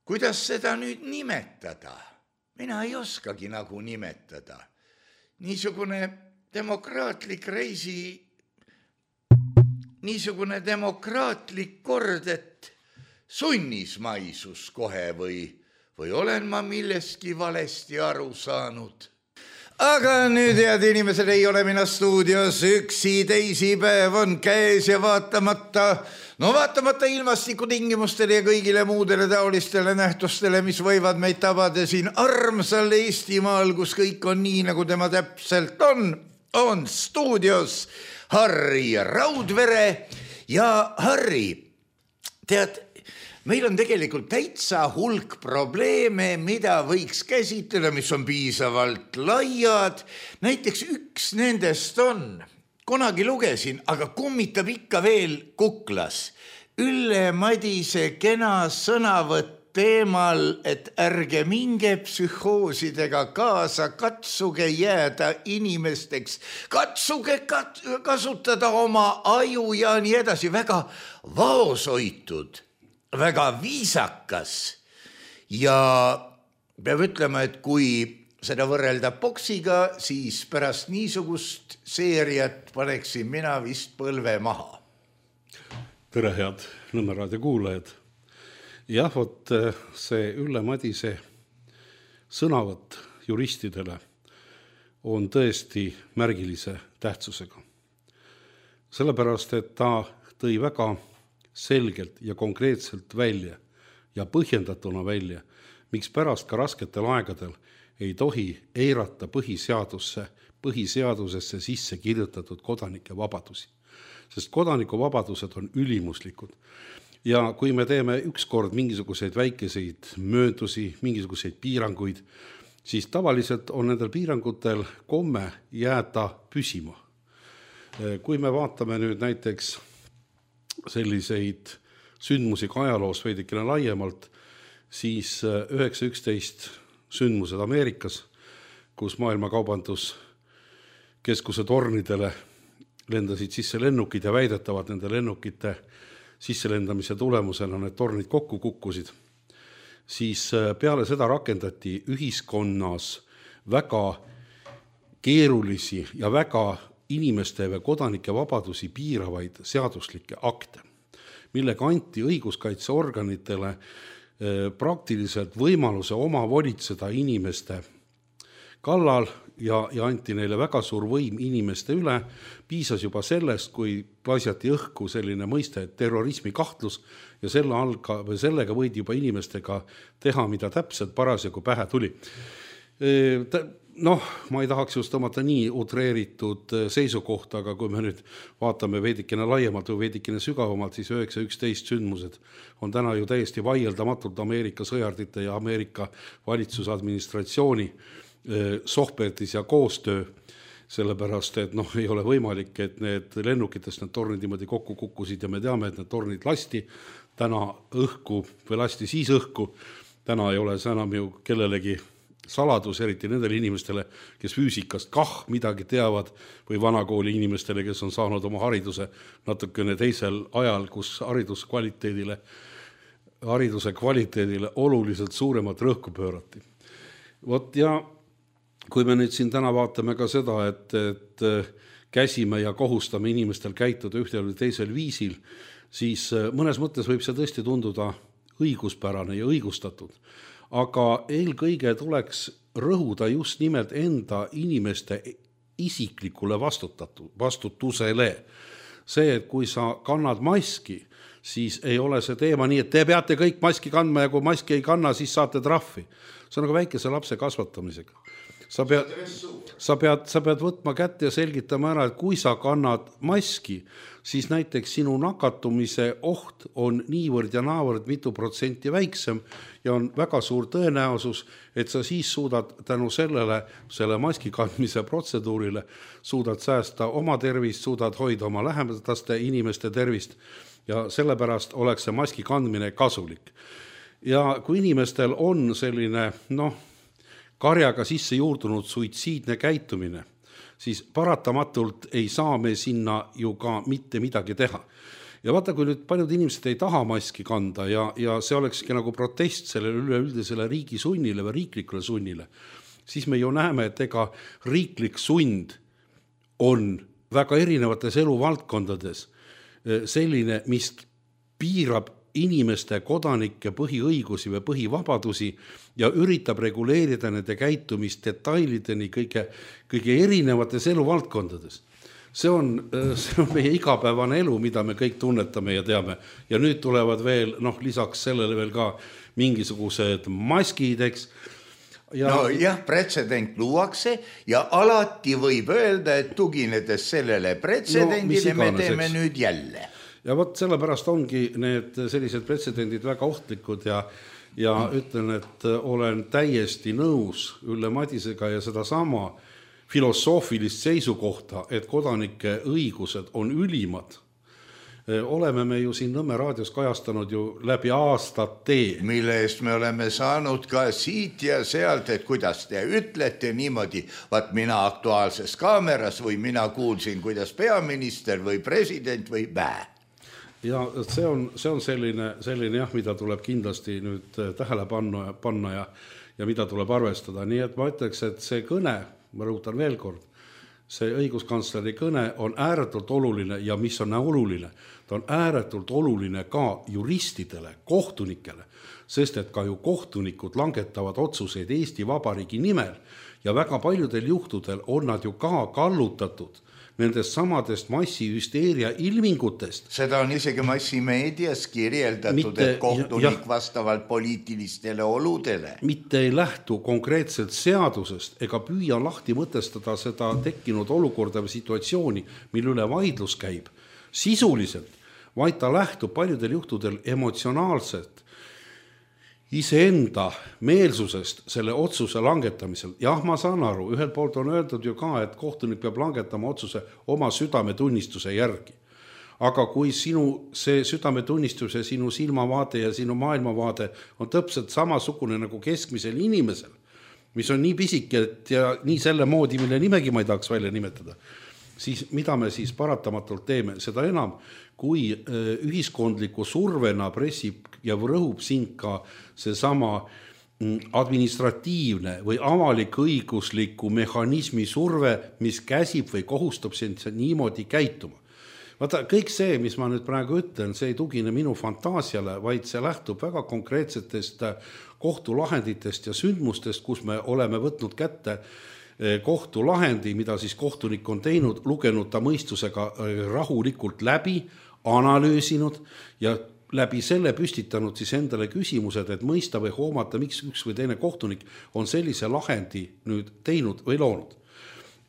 Speaker 3: kuidas seda nüüd nimetada? Mina ei oskagi nagu nimetada. Niisugune demokraatlik niisugune demokraatlik kord, et sunnismaisus kohe või olen ma millestki valesti aru saanud. Aga nüüd, head inimesed, ei ole mina stuudios üksi, teisipäev on käes ja vaatamata ilmastikutingimustele ja kõigile muudele taolistele nähtustele, mis võivad meid tabada siin armsal Eestimaal, kus kõik on nii, nagu tema täpselt on stuudios Harri Raudvere. Ja Harri, tead, meil on tegelikult täitsa hulk probleeme, mida võiks käsitleda, mis on piisavalt laiad. Näiteks üks nendest on, kunagi lugesin, aga kummitab ikka veel kuklas. Ülle Madise kena sõnavõtt teemal, et ärge minge psühhoosidega kaasa, katsuge jääda inimesteks, katsuge kasutada oma aju ja nii edasi. Väga vaoshoitud, väga viisakas ja peab ütlema, et kui seda võrrelda boksiga, siis pärast niisugust seeriat paneksin mina vist põlve maha.
Speaker 4: Tere, head Nõmme raadio kuulajad. Jah, vot see Ülle Madise sõnavõtt juristidele on tõesti märgilise tähtsusega. Sellepärast, et ta tõi väga selgelt ja konkreetselt välja ja põhjendatuna välja, miks pärast ka rasketel aegadel ei tohi eirata põhiseadusesse sisse kirjutatud kodanike vabadusi. Sest kodanikuvabadused on ülimuslikud. Ja kui me teeme ükskord mingisuguseid väikeseid mööndusi, mingisuguseid piiranguid, siis tavaliselt on nendel piirangutel komme jääda püsima. Kui me vaatame nüüd näiteks selliseid sündmusi ka ajaloos veidikene laiemalt, siis 9.11 sündmused Ameerikas, kus maailma kaubanduskeskuse tornidele lendasid sisse lennukid ja väidetavad nende lennukite sisselendamise tulemusena need tornid kokku kukkusid, siis peale seda rakendati ühiskonnas väga keerulisi ja väga inimeste või kodanike vabadusi piiravaid seaduslikke akte, millega anti õiguskaitseorganitele praktiliselt võimaluse oma volitseda inimeste kallal ja anti neile väga suur võim inimeste üle. Piisas juba sellest, kui paisjati õhku selline mõiste, et terrorismi kahtlus ja sellega võidi juba inimestega teha, mida täpselt parasjagu pähe tuli. Noh, ma ei tahaks just tõmmata nii utreeritud seisukohta, aga kui me nüüd vaatame veidikene laiemalt või veidikene sügavamalt, siis 9.11 sündmused on täna ju täiesti vaieldamatult Ameerika sõjardite ja Ameerika valitsusadministratsiooni sohpertis ja koostöö, sellepärast, et ei ole võimalik, et need lennukitest need tornid niimoodi kokku kukkusid ja me teame, et need tornid lasti täna õhku või lasti siis õhku. Täna ei ole see enam ju kellelegi saladus, eriti nendele inimestele, kes füüsikast midagi teavad või vanakooli inimestele, kes on saanud oma hariduse natukene teisel ajal, kus hariduse kvaliteedile oluliselt suuremat rõhku pöörati. Vot ja kui me nüüd siin täna vaatame ka seda, et käsime ja kohustame inimestel käituda ühtel või teisel viisil, siis mõnes mõttes võib see tõesti tunduda õiguspärane ja õigustatud. Aga eelkõige tuleks rõhuda just nimelt enda inimeste isiklikule vastutusele. See, et kui sa kannad maski, siis ei ole see teema nii, et te peate kõik maski kandma ja kui maski ei kanna, siis saate trahvi. See on nagu väikese lapse kasvatamisega. Sa pead võtma kätte ja selgitama ära, et kui sa kannad maski, siis näiteks sinu nakatumise oht on niivõrd ja naavõrd mitu protsenti väiksem ja on väga suur tõenäosus, et sa siis suudad tänu selle maski kandmise protseduurile, suudad säästa oma tervist, suudad hoida oma lähedaste inimeste tervist ja sellepärast oleks see maski kandmine kasulik. Ja kui inimestel on selline, karjaga sisse juurdunud suitsiidne käitumine, siis paratamatult ei saa me sinna ju ka mitte midagi teha. Ja vaata, kui nüüd paljud inimesed ei taha maski kanda ja see olekski nagu protest sellele üleüldisele riigi sunnile või riiklikule sunnile, siis me ju näeme, et ega riiklik sund on väga erinevates eluvaldkondades selline, mis piirab inimeste kodanike põhiõigusi või põhivabadusi ja üritab reguleerida nende käitumist detailideni kõige erinevates eluvaldkondades. See on meie igapäevane elu, mida me kõik tunnetame ja teame. Ja nüüd tulevad veel, lisaks sellele veel ka mingisugused maskid, eks.
Speaker 3: Pretsedent luuakse ja alati võib öelda, et tuginedes sellele pretsedendile me teeme nüüd jälle.
Speaker 4: Ja vot sellepärast ongi need sellised pretsedendid väga ohtlikud ja ütlen, et olen täiesti nõus Ülle Madisega ja seda sama filosoofilist seisukohta, et kodanike õigused on ülimad. Oleme me ju siin Nõmme raadios kajastanud ju läbi aastate.
Speaker 3: Mille eest me oleme saanud ka siit ja sealt, et kuidas te ütlete niimoodi, vaat mina Aktuaalses Kaameras või mina kuulsin, kuidas peaminister või president või
Speaker 4: Ja see on selline jah, mida tuleb kindlasti nüüd tähele panna ja mida tuleb arvestada. Nii et ma ütleks, et see kõne, ma rõhutan veel kord, see õiguskantsleri kõne on ääretult oluline ja mis on oluline, ta on ääretult oluline ka juristidele, kohtunikele, sest et ka ju kohtunikud langetavad otsuseid Eesti Vabariigi nimel ja väga paljudel juhtudel on nad ju ka kallutatud nendest samadest massihüsteeria ilmingutest.
Speaker 3: Seda on isegi massimeedias kirjeldatud, et kohtunik vastavalt poliitilistele oludele.
Speaker 4: Mitte ei lähtu konkreetselt seadusest ega püüa lahti mõtestada seda tekkinud olukorda või situatsiooni, mille üle vaidlus käib sisuliselt, vaid ta lähtub paljudel juhtudel emotsionaalselt iseenda meelsusest selle otsuse langetamisel. Jah, ma saan aru, ühelt poolt on öeldud ju ka, et kohtunik peab langetama otsuse oma südametunnistuse järgi. Aga kui see südametunnistuse, sinu silmavaade ja sinu maailmavaade on täpselt samasugune nagu keskmisel inimesel, mis on nii pisike ja nii selle moodi, mille nimegi ma ei tahaks välja nimetada, siis mida me siis paratamatult teeme? Seda enam, kui ühiskondliku survena pressib ja rõhub sind ka seesama administratiivne või avalik õigusliku mehhanismi surve, mis käsib või kohustab sind niimoodi käituma. Vaata, kõik see, mis ma nüüd praegu ütlen, see ei tugine minu fantaasiale, vaid see lähtub väga konkreetsetest kohtulahenditest ja sündmustest, kus me oleme võtnud kätte kohtulahendi, mida siis kohtunik on teinud, lugenud ta mõistusega rahulikult läbi, analüüsinud ja läbi selle püstitanud siis endale küsimused, et mõista või hoomata, miks üks või teine kohtunik on sellise lahendi nüüd teinud või loonud.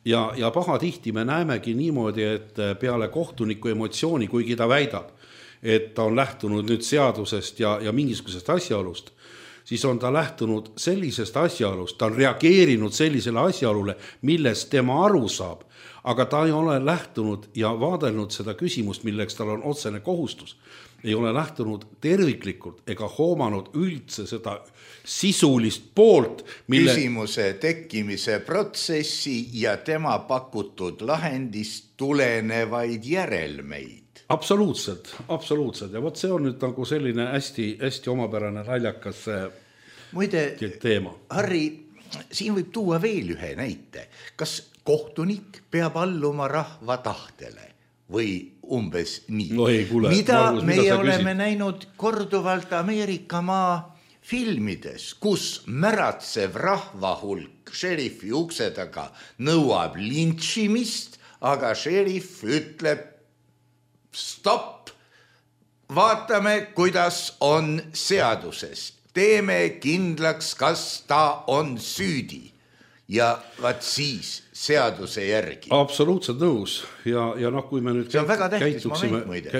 Speaker 4: Ja pahatihti me näemegi niimoodi, et peale kohtuniku emotsiooni, kuigi ta väidab, et ta on lähtunud nüüd seadusest ja mingisugusest asjaolust, siis on ta lähtunud sellisest asjaolust, ta on reageerinud sellisele asjaolule, millest tema aru saab, aga ta ei ole lähtunud ja vaadelnud seda küsimust, milleks tal on otsene kohustus, ei ole lähtunud terviklikult ega hoomanud üldse seda sisulist poolt,
Speaker 3: küsimuse tekkimise protsessi ja tema pakutud lahendist tulenevaid järelmeid.
Speaker 4: Absoluutselt. Ja vot see on nüüd nagu selline hästi omapärane naljakas teema.
Speaker 3: Harri, siin võib tuua veel ühe näite. Kas kohtunik peab alluma rahva tahtele või umbes nii.
Speaker 4: No ei, kuule,
Speaker 3: mida
Speaker 4: Margus,
Speaker 3: meie
Speaker 4: sa
Speaker 3: oleme
Speaker 4: küsid?
Speaker 3: näinud korduvalt Ameerikamaa filmides, kus märatsev rahvahulk šerifi ukse taga nõuab lintšimist, aga šerif ütleb stopp, vaatame, kuidas on seaduses. Teeme kindlaks, kas ta on süüdi. Ja vaat siis seaduse järgi.
Speaker 4: Absoluutselt nõus ja noh, kui me nüüd
Speaker 3: see on väga tähtis moment muide.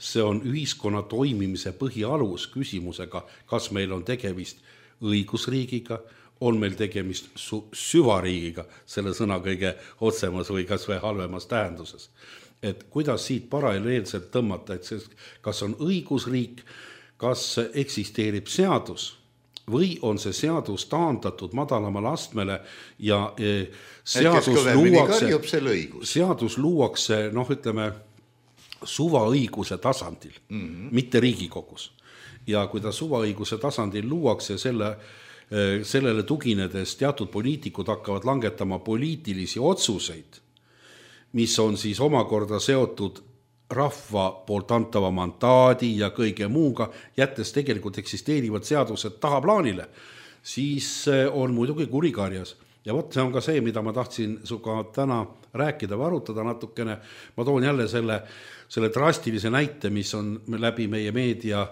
Speaker 4: See on ühiskonna toimimise põhialus küsimusega, kas meil on tegemist õigusriigiga, on meil tegemist süvariigiga, selle sõna kõige otsemas või kas või halvemas tähenduses. Et kuidas siit paralleelselt tõmmata, et kas on õigusriik, kas eksisteerib seadus, või on see seadus taandatud madalamale astmele ja seadus luuakse, noh ütleme, suvaõiguse tasandil, mitte Riigikogus. Ja kui ta suvaõiguse tasandil luuakse, sellele tuginedes teatud poliitikud hakkavad langetama poliitilisi otsuseid, mis on siis omakorda seotud rahva poolt antava mandaadi ja kõige muuga, jättes tegelikult eksisteerivad seadused tahaplaanile, siis on muidugi kurikarjas. Ja võt, see on ka see, mida ma tahtsin suga täna rääkida või arutada natukene. Ma toon jälle selle drastilise näite, mis on läbi meie meedia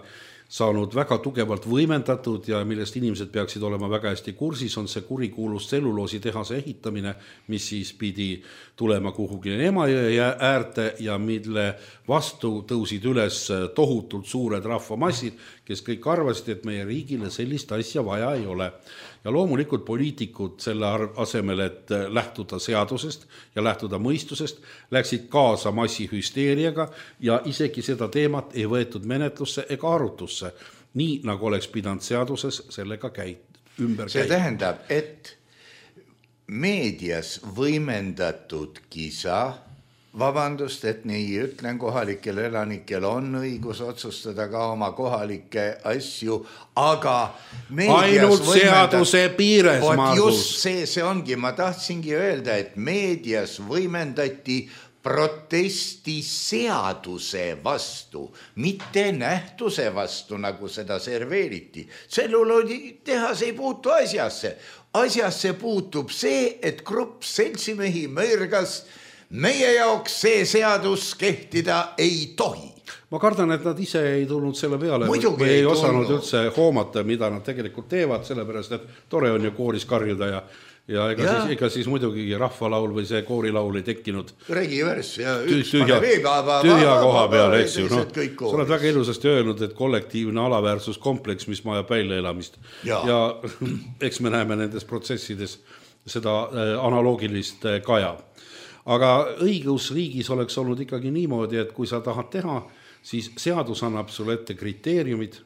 Speaker 4: saanud väga tugevalt võimendatud ja millest inimesed peaksid olema väga hästi kursis, on see kurikuulus tselluloositehase ehitamine, mis siis pidi tulema kuhugi Emajõe äärte ja mille vastu tõusid üles tohutult suured rahvamassid, kes kõik arvasid, et meie riigile sellist asja vaja ei ole. Ja loomulikult poliitikud selle asemel, et lähtuda seadusest ja lähtuda mõistusest, läksid kaasa massihüsteeriaga ja isegi seda teemat ei võetud menetlusse ega arutusse, nii nagu oleks pidanud seaduses sellega ümber käia.
Speaker 3: See tähendab, et meedias võimendatud kisa, vabandust, et nii ütlen, kohalikel elanikel on õigus otsustada ka oma kohalikke asju, aga
Speaker 4: ainult seaduse piires, Margus.
Speaker 3: Just see ongi, ma tahtsingi öelda, et meedias võimendati protesti seaduse vastu, mitte nähtuse vastu, nagu seda serveeriti. Tselluloositehas ei puutu asjasse. Asjasse puutub see, et grupp seltsimehi mõrgas, meie jaoks see seadus kehtida ei tohi.
Speaker 4: Ma kardan, et nad ise ei tulnud selle peale
Speaker 3: Muidugi
Speaker 4: või ei osanud üldse hoomata, mida nad tegelikult teevad, sellepärast, et tore on ju kooris karjuda ja ega siis muidugi rahvalaul või see koorilaul ei tekkinud
Speaker 3: Regivers ja
Speaker 4: tühja koha peal, eks ju. Sa oled väga ilusasti öelnud, et kollektiivne alaväärsuskompleks, mis majab väljaelamist. Ja eks me näeme nendes protsessides seda analoogilist kaja. Aga õigusriigis oleks olnud ikkagi niimoodi, et kui sa tahad teha, siis seadus annab sulle ette kriteeriumid,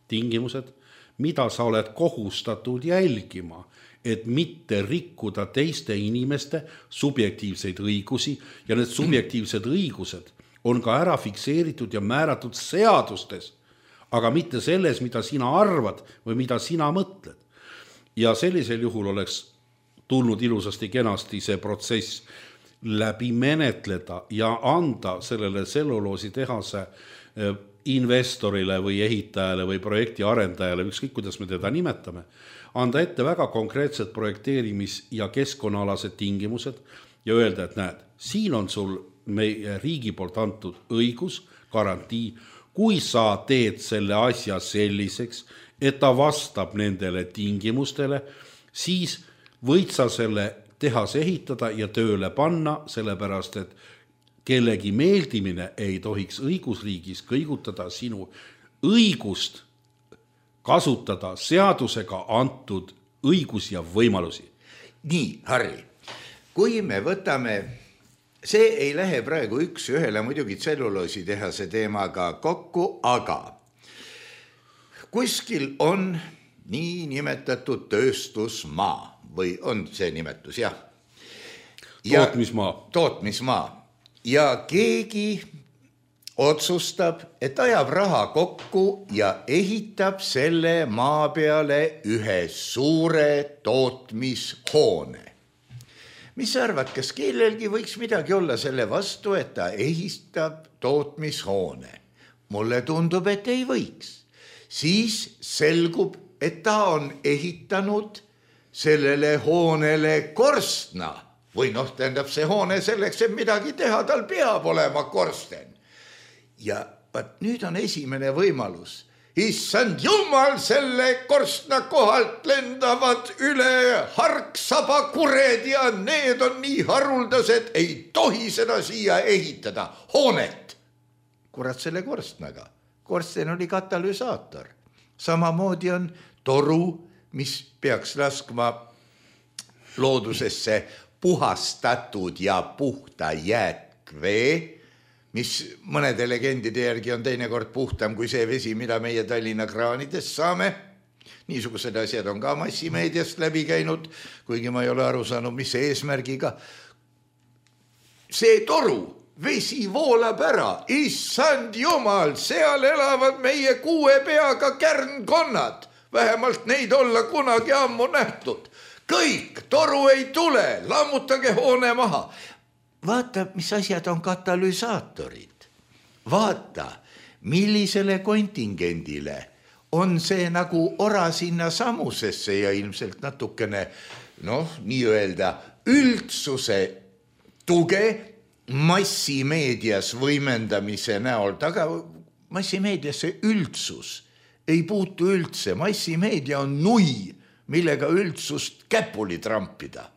Speaker 4: tingimused, mida sa oled kohustatud jälgima, et mitte rikkuda teiste inimeste subjektiivseid õigusi ja need subjektiivsed õigused on ka ära fikseeritud ja määratud seadustes, aga mitte selles, mida sina arvad või mida sina mõtled. Ja sellisel juhul oleks tulnud ilusasti kenasti see protsess läbi menetleda ja anda sellele tselluloositehase investorile või ehitajale või projekti arendajale, ükskõik kuidas me teda nimetame, anda ette väga konkreetsed projekteerimis- ja keskkonnaalased tingimused ja öelda, et näed, siin on sul meie riigi poolt antud õigus, garantii, kui sa teed selle asja selliseks, et ta vastab nendele tingimustele, siis võid sa selle tehas ehitada ja tööle panna, sellepärast, et kellegi meeldimine ei tohiks õigusriigis kõigutada sinu õigust kasutada seadusega antud õigus ja võimalusi.
Speaker 3: Nii, Harri, kui me võtame, see ei lähe praegu üks ühele muidugi tselluloositehase teemaga kokku, aga kuskil on nii nimetatud tööstusmaa või on see nimetus, jah. Tootmismaa. Ja keegi otsustab, et ajab raha kokku ja ehitab selle maa peale ühe suure tootmishoone. mis sa arvad, kas kellelgi võiks midagi olla selle vastu, et ta ehitab tootmishoone? Mulle tundub, et ei võiks. Siis selgub, et ta on ehitanud sellele hoonele korstna või tähendab see hoone selleks, et midagi teha, tal peab olema korsten. Ja nüüd on esimene võimalus. Issand jumal, selle korstna kohalt lendavad üle harksabakured ja need on nii haruldased, ei tohi seda siia ehitada, hoonet. Kurat selle korstnaga. Korsten oli katalüsaator. Samamoodi on toru, mis peaks laskma loodusesse puhastatud ja puhta jääkvee, mis mõnede legendide järgi on teinekord puhtam kui see vesi, mida meie Tallinna kraanidest saame. Niisugused asjad on ka massimeediast läbi käinud, kuigi ma ei ole aru saanud, mis see eesmärgiga. See toru, vesi voolab ära, issand jumal, seal elavad meie 6 peaga kärnkonnad. Vähemalt neid olla kunagi ammu nähtud. Kõik, toru ei tule, lammutage hoone maha. Vaata, mis asjad on katalüsaatorid. Vaata, millisele kontingendile on see nagu ora sinna samusesse ja ilmselt natukene, nii-öelda üldsuse tuge massimeedias võimendamise näol taga. Massimeediasse üldsus ei puutu üldse. Massimeedia on nui, millega üldsust käpuli trampida.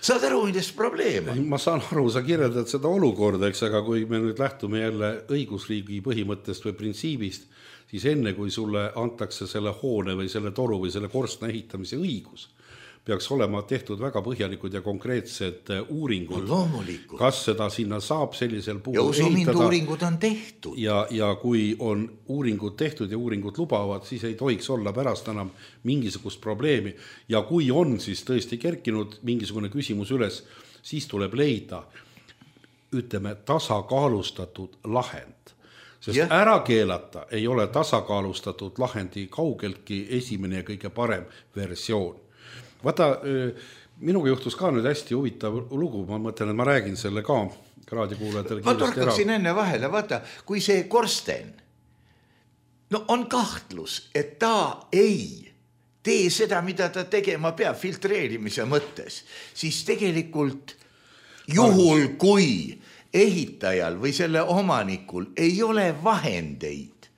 Speaker 3: Saad aru, milles probleem on?
Speaker 4: Ma saan aru, sa kirjeldad seda olukorda, eks, aga kui me nüüd lähtume jälle õigusriigi põhimõttest või printsiibist, siis enne kui sulle antakse selle hoone või selle toru või selle korstna ehitamise õigus, peaks olema tehtud väga põhjalikud ja konkreetsed uuringud.
Speaker 3: Loomulikult.
Speaker 4: Kas seda sinna saab sellisel puhul
Speaker 3: ja usumind uuringud on tehtud.
Speaker 4: Ja kui on uuringud tehtud ja uuringud lubavad, siis ei tohiks olla pärast enam mingisugust probleemi. Ja kui on siis tõesti kerkinud mingisugune küsimus üles, siis tuleb leida, ütleme, tasakaalustatud lahend. Sest ära keelata ei ole tasakaalustatud lahendi kaugeltki esimene ja kõige parem versioon. Vaata, minuga juhtus ka nüüd hästi huvitav lugu, ma mõtlen, et ma räägin selle ka raadiokuulajatele.
Speaker 3: Ma torkaksin enne vahele, vaata, kui see korsten, on kahtlus, et ta ei tee seda, mida ta tegema peab filtreerimise mõttes, siis tegelikult juhul, kui ehitajal või selle omanikul ei ole vahendeid,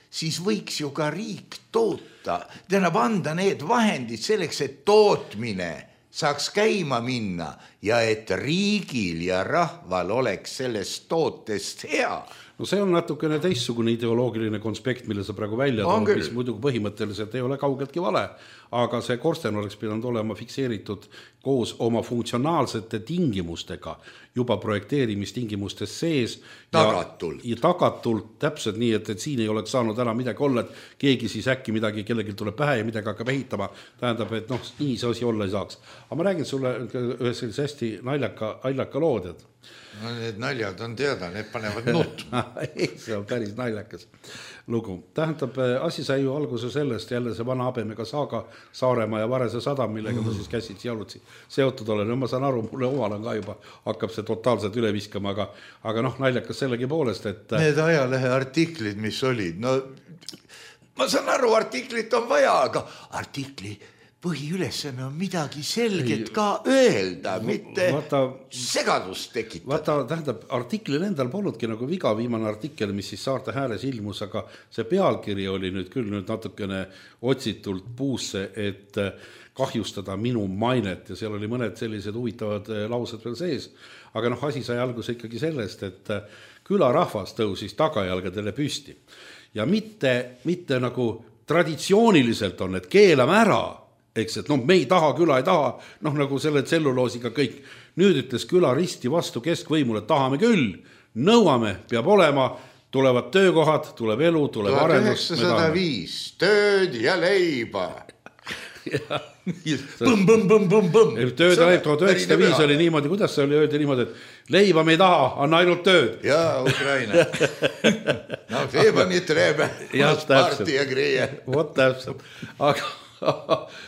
Speaker 3: siis võiks ju ka riik toota, tähendab anda need vahendid selleks, et tootmine saaks käima minna ja et riigil ja rahval oleks sellest tootest hea.
Speaker 4: No see on natukene teistsugune ideoloogiline konspekt, mille sa praegu välja tood, mis muidugi põhimõtteliselt ei ole kaugeltki vale, aga see korsten oleks pidanud olema fikseeritud koos oma funktsionaalsete tingimustega juba projekteerimistingimustes sees.
Speaker 3: Tagatult.
Speaker 4: Ja tagatult täpselt nii, et siin ei oleks saanud ära midagi olla, et keegi siis äkki midagi kellelgi tuleb pähe ja midagi hakkab ehitama. Tähendab, et nii see asi olla ei saaks. Aga ma räägin sulle ühe sellise hästi naljaka lood, et
Speaker 3: need naljad on teada, need panevad nutma.
Speaker 4: See on päris naljakas lugu. Tähendab, asi sai ju alguse sellest, jälle see vana habemega saaga Saaremaa ja Varese sadam, millega ma siis käsitsi jalutsi seotud olen. Ma saan aru, mulle omal on ka juba, hakkab see totaalselt üle viskama, aga naljakas sellegi poolest, et
Speaker 3: need ajalehe artiklid, mis olid, ma saan aru, artiklit on vaja, aga artikli põhiülesanne on midagi selget ka öelda, mitte segadust tekitada.
Speaker 4: Vaata, tähendab, artiklil endal polnudki nagu viga, viimane artikkel, mis siis Saarte Hääles ilmus, aga see pealkiri oli nüüd küll natukene otsitult puusse, et kahjustada minu mainet ja seal oli mõned sellised huvitavad laused veel sees. Aga asi sai alguse ikkagi sellest, et külarahvas tõusis tagajalgadele püsti ja mitte nagu traditsiooniliselt on, et keelame ära, eks, et me ei taha, küla ei taha, nagu selle tselluloosiga kõik. Nüüd ütles küla risti vastu keskvõimule, tahame küll, nõuame, peab olema, tulevad töökohad, tuleb elu, tuleb arendus.
Speaker 3: 1905, tööd ja leiba.
Speaker 4: Tööd ja leib, 1905 oli niimoodi, kuidas see oli öelda niimoodi, et leiba me ei taha, anna ainult tööd.
Speaker 3: Jaa, Ukraina. Leiba nii trebe, parti ja greie.
Speaker 4: Vot täpselt.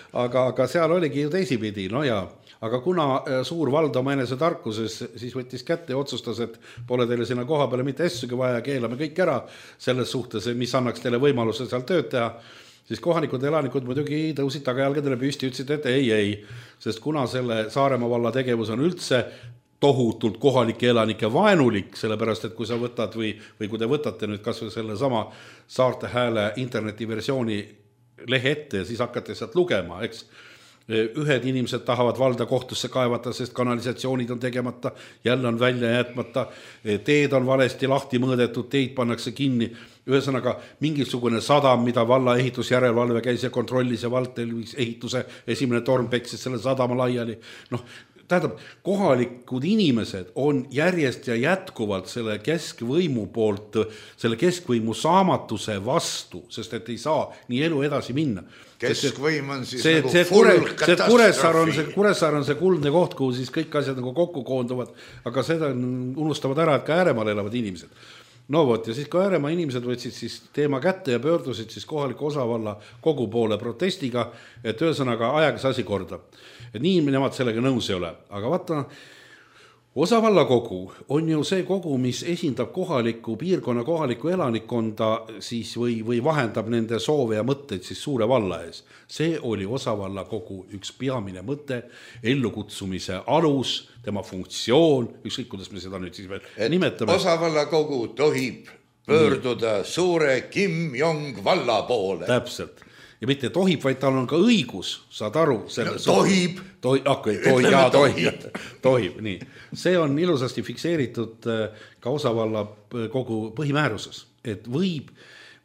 Speaker 4: Aga seal oligi ju teisipidi, ja aga kuna suur vald oma enese tarkuses siis võttis kätte ja otsustas, et pole teile sinna koha peale mitte assugi vaja, keelame kõik ära selles suhtes, mis annaks teile võimaluse seal tööd teha, siis kohalikud elanikud muidugi tõusid tagajalgadele püsti, ütlesid, et ei, sest kuna selle Saaremaa valla tegevus on üldse tohutult kohalike elanike vaenulik, sellepärast, et kui sa võtad või kui te võtate nüüd kas või selle sama Saarte Hääle internetiversiooni lehe ette ja siis hakkate sealt lugema, eks. Ühed inimesed tahavad valda kohtusse kaevata, sest kanalisatsioonid on tegemata, jälle on välja jätmata, teed on valesti lahti mõõdetud, teid pannakse kinni. Ühesõnaga, mingisugune sadam, mida valla ehitusjärelevalve käis ja kontrollis ja vald ehituse esimene torm peksis selle sadama laiali. Tähendab, kohalikud inimesed on järjest ja jätkuvalt selle keskvõimu poolt, selle keskvõimu saamatuse vastu, sest et ei saa nii elu edasi minna.
Speaker 3: Keskvõim on siis
Speaker 4: nagu full katastroofi. Kuressaar on see kuldne koht, kuhu siis kõik asjad nagu kokku koonduvad, aga seda unustavad ära, et ka ääremaal elavad inimesed. No vot, ja siis kui Ääremaa inimesed võtsid siis teema kätte ja pöördusid siis kohaliku osavalla kogu poole protestiga, et ühesõnaga ajaga see asi korda. Et nii nemad sellega nõus ei ole. Aga vaata, osavalla kogu on ju see kogu, mis esindab kohaliku piirkonna kohalikku elanikkonda siis või vahendab nende soove ja mõtteid siis suure valla ees. See oli osavalla kogu üks peamine mõte, ellukutsumise alus, tema funktsioon, ükskõik kuidas me seda nüüd siis veel nimetame.
Speaker 3: Osavalla kogu tohib pöörduda suure Kim Jong valla poole.
Speaker 4: Täpselt. Ja mitte tohib, vaid tal on ka õigus, saad aru.
Speaker 3: Tohib.
Speaker 4: Tohib, nii. See on ilusasti fikseeritud ka osavalla kogu põhimääruses, et võib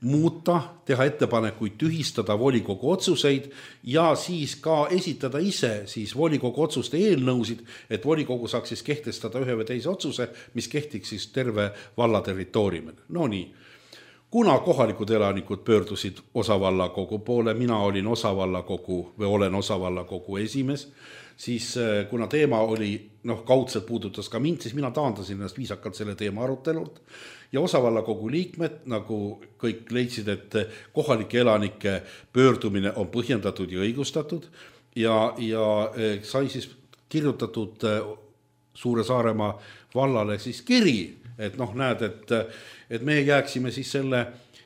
Speaker 4: muuta, teha ettepanekuid, tühistada volikogu otsuseid ja siis ka esitada ise siis volikogu otsuste eelnõusid, et volikogu saaks siis kehtestada ühe või teise otsuse, mis kehtiks siis terve valla territooriumil. No nii. Kuna kohalikud elanikud pöördusid osavallakogu poole, mina olin osavallakogu või olen osavallakogu esimees, siis kuna teema oli, kaudselt puudutas ka mind, siis mina taandasin ennast viisakalt selle teema arutelult ja osavallakogu liikmed, nagu kõik leidsid, et kohalike elanike pöördumine on põhjendatud ja õigustatud ja sai siis kirjutatud Suure Saaremaa vallale siis kiri, et näed, et me jääksime siis selle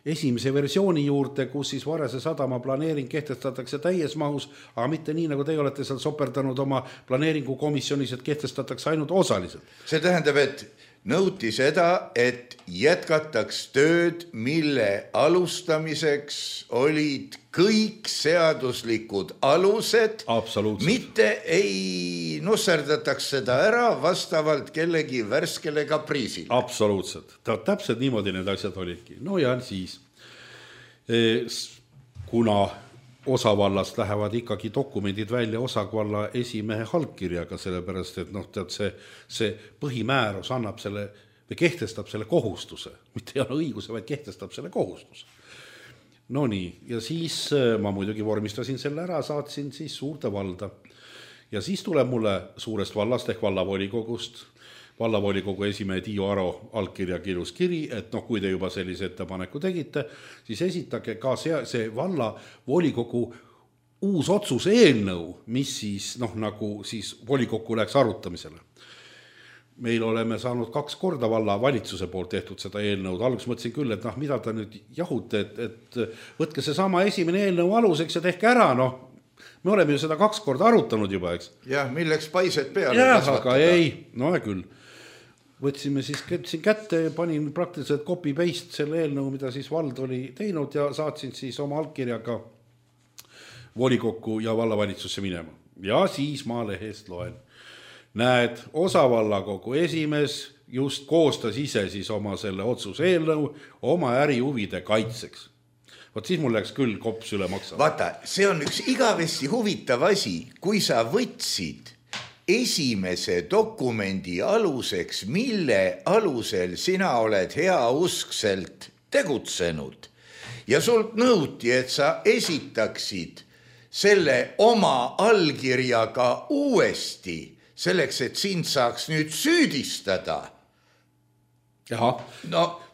Speaker 4: esimese versiooni juurde, kus siis Varese sadama planeering kehtestatakse täies mahus, aga mitte nii, nagu teie olete seal soperdanud oma planeeringukomisjonis, et kehtestatakse ainult osaliselt.
Speaker 3: See tähendab, et nõuti seda, et jätkataks tööd, mille alustamiseks olid kõik seaduslikud alused. Mitte ei nusserdataks seda ära vastavalt kellegi värskele kapriisile.
Speaker 4: Absoluutselt. Täpselt niimoodi need asjad olidki. No ja siis, kuna osavallast lähevad ikkagi dokumendid välja osavalla esimehe allkirjaga, sellepärast, et see põhimäärus annab selle või kehtestab selle kohustuse, mitte ei ole õiguse, vaid kehtestab selle kohustuse. No nii, ja siis ma muidugi vormistasin selle ära, saatsin siis suurde valda. Ja siis tuleb mulle suurest vallast ehk vallavolikogust, vallavolikogu esimehe Tiiu Aro allkirja kirjus kiri, et kui te juba sellise ettepaneku tegite, siis esitage ka see vallavolikogu uus otsuse eelnõu, mis siis nagu siis volikokku läks arutamisele. Meil oleme saanud 2 korda valla valitsuse poolt tehtud seda eelnõud. Alguses mõtlesin küll, et mida ta nüüd jahute, et võtke see sama esimene eelnõu aluseks ja tehke ära, me oleme ju seda 2 korda arutanud juba, eks.
Speaker 3: Jah, milleks paised peale
Speaker 4: kasvatada. Aga ei, küll. Võtsime siis kätte ja panin praktiliselt copy-paste selle eelnõu, mida siis vald oli teinud ja saatsin siis oma allkirjaga volikokku ja vallavalitsusse minema. Ja siis ma lehest loen. Näed, osavallakogu esimees just koostas ise siis oma selle otsuse eelnõu oma ärihuvide kaitseks. Vot siis mul läks küll kops üle maksama.
Speaker 3: Vaata, see on üks igavesti huvitav asi, kui sa võtsid esimese dokumendi aluseks, mille alusel sina oled heauskselt tegutsenud ja sult nõuti, et sa esitaksid selle oma allkirjaga uuesti selleks, et sind saaks nüüd süüdistada.
Speaker 4: Jah,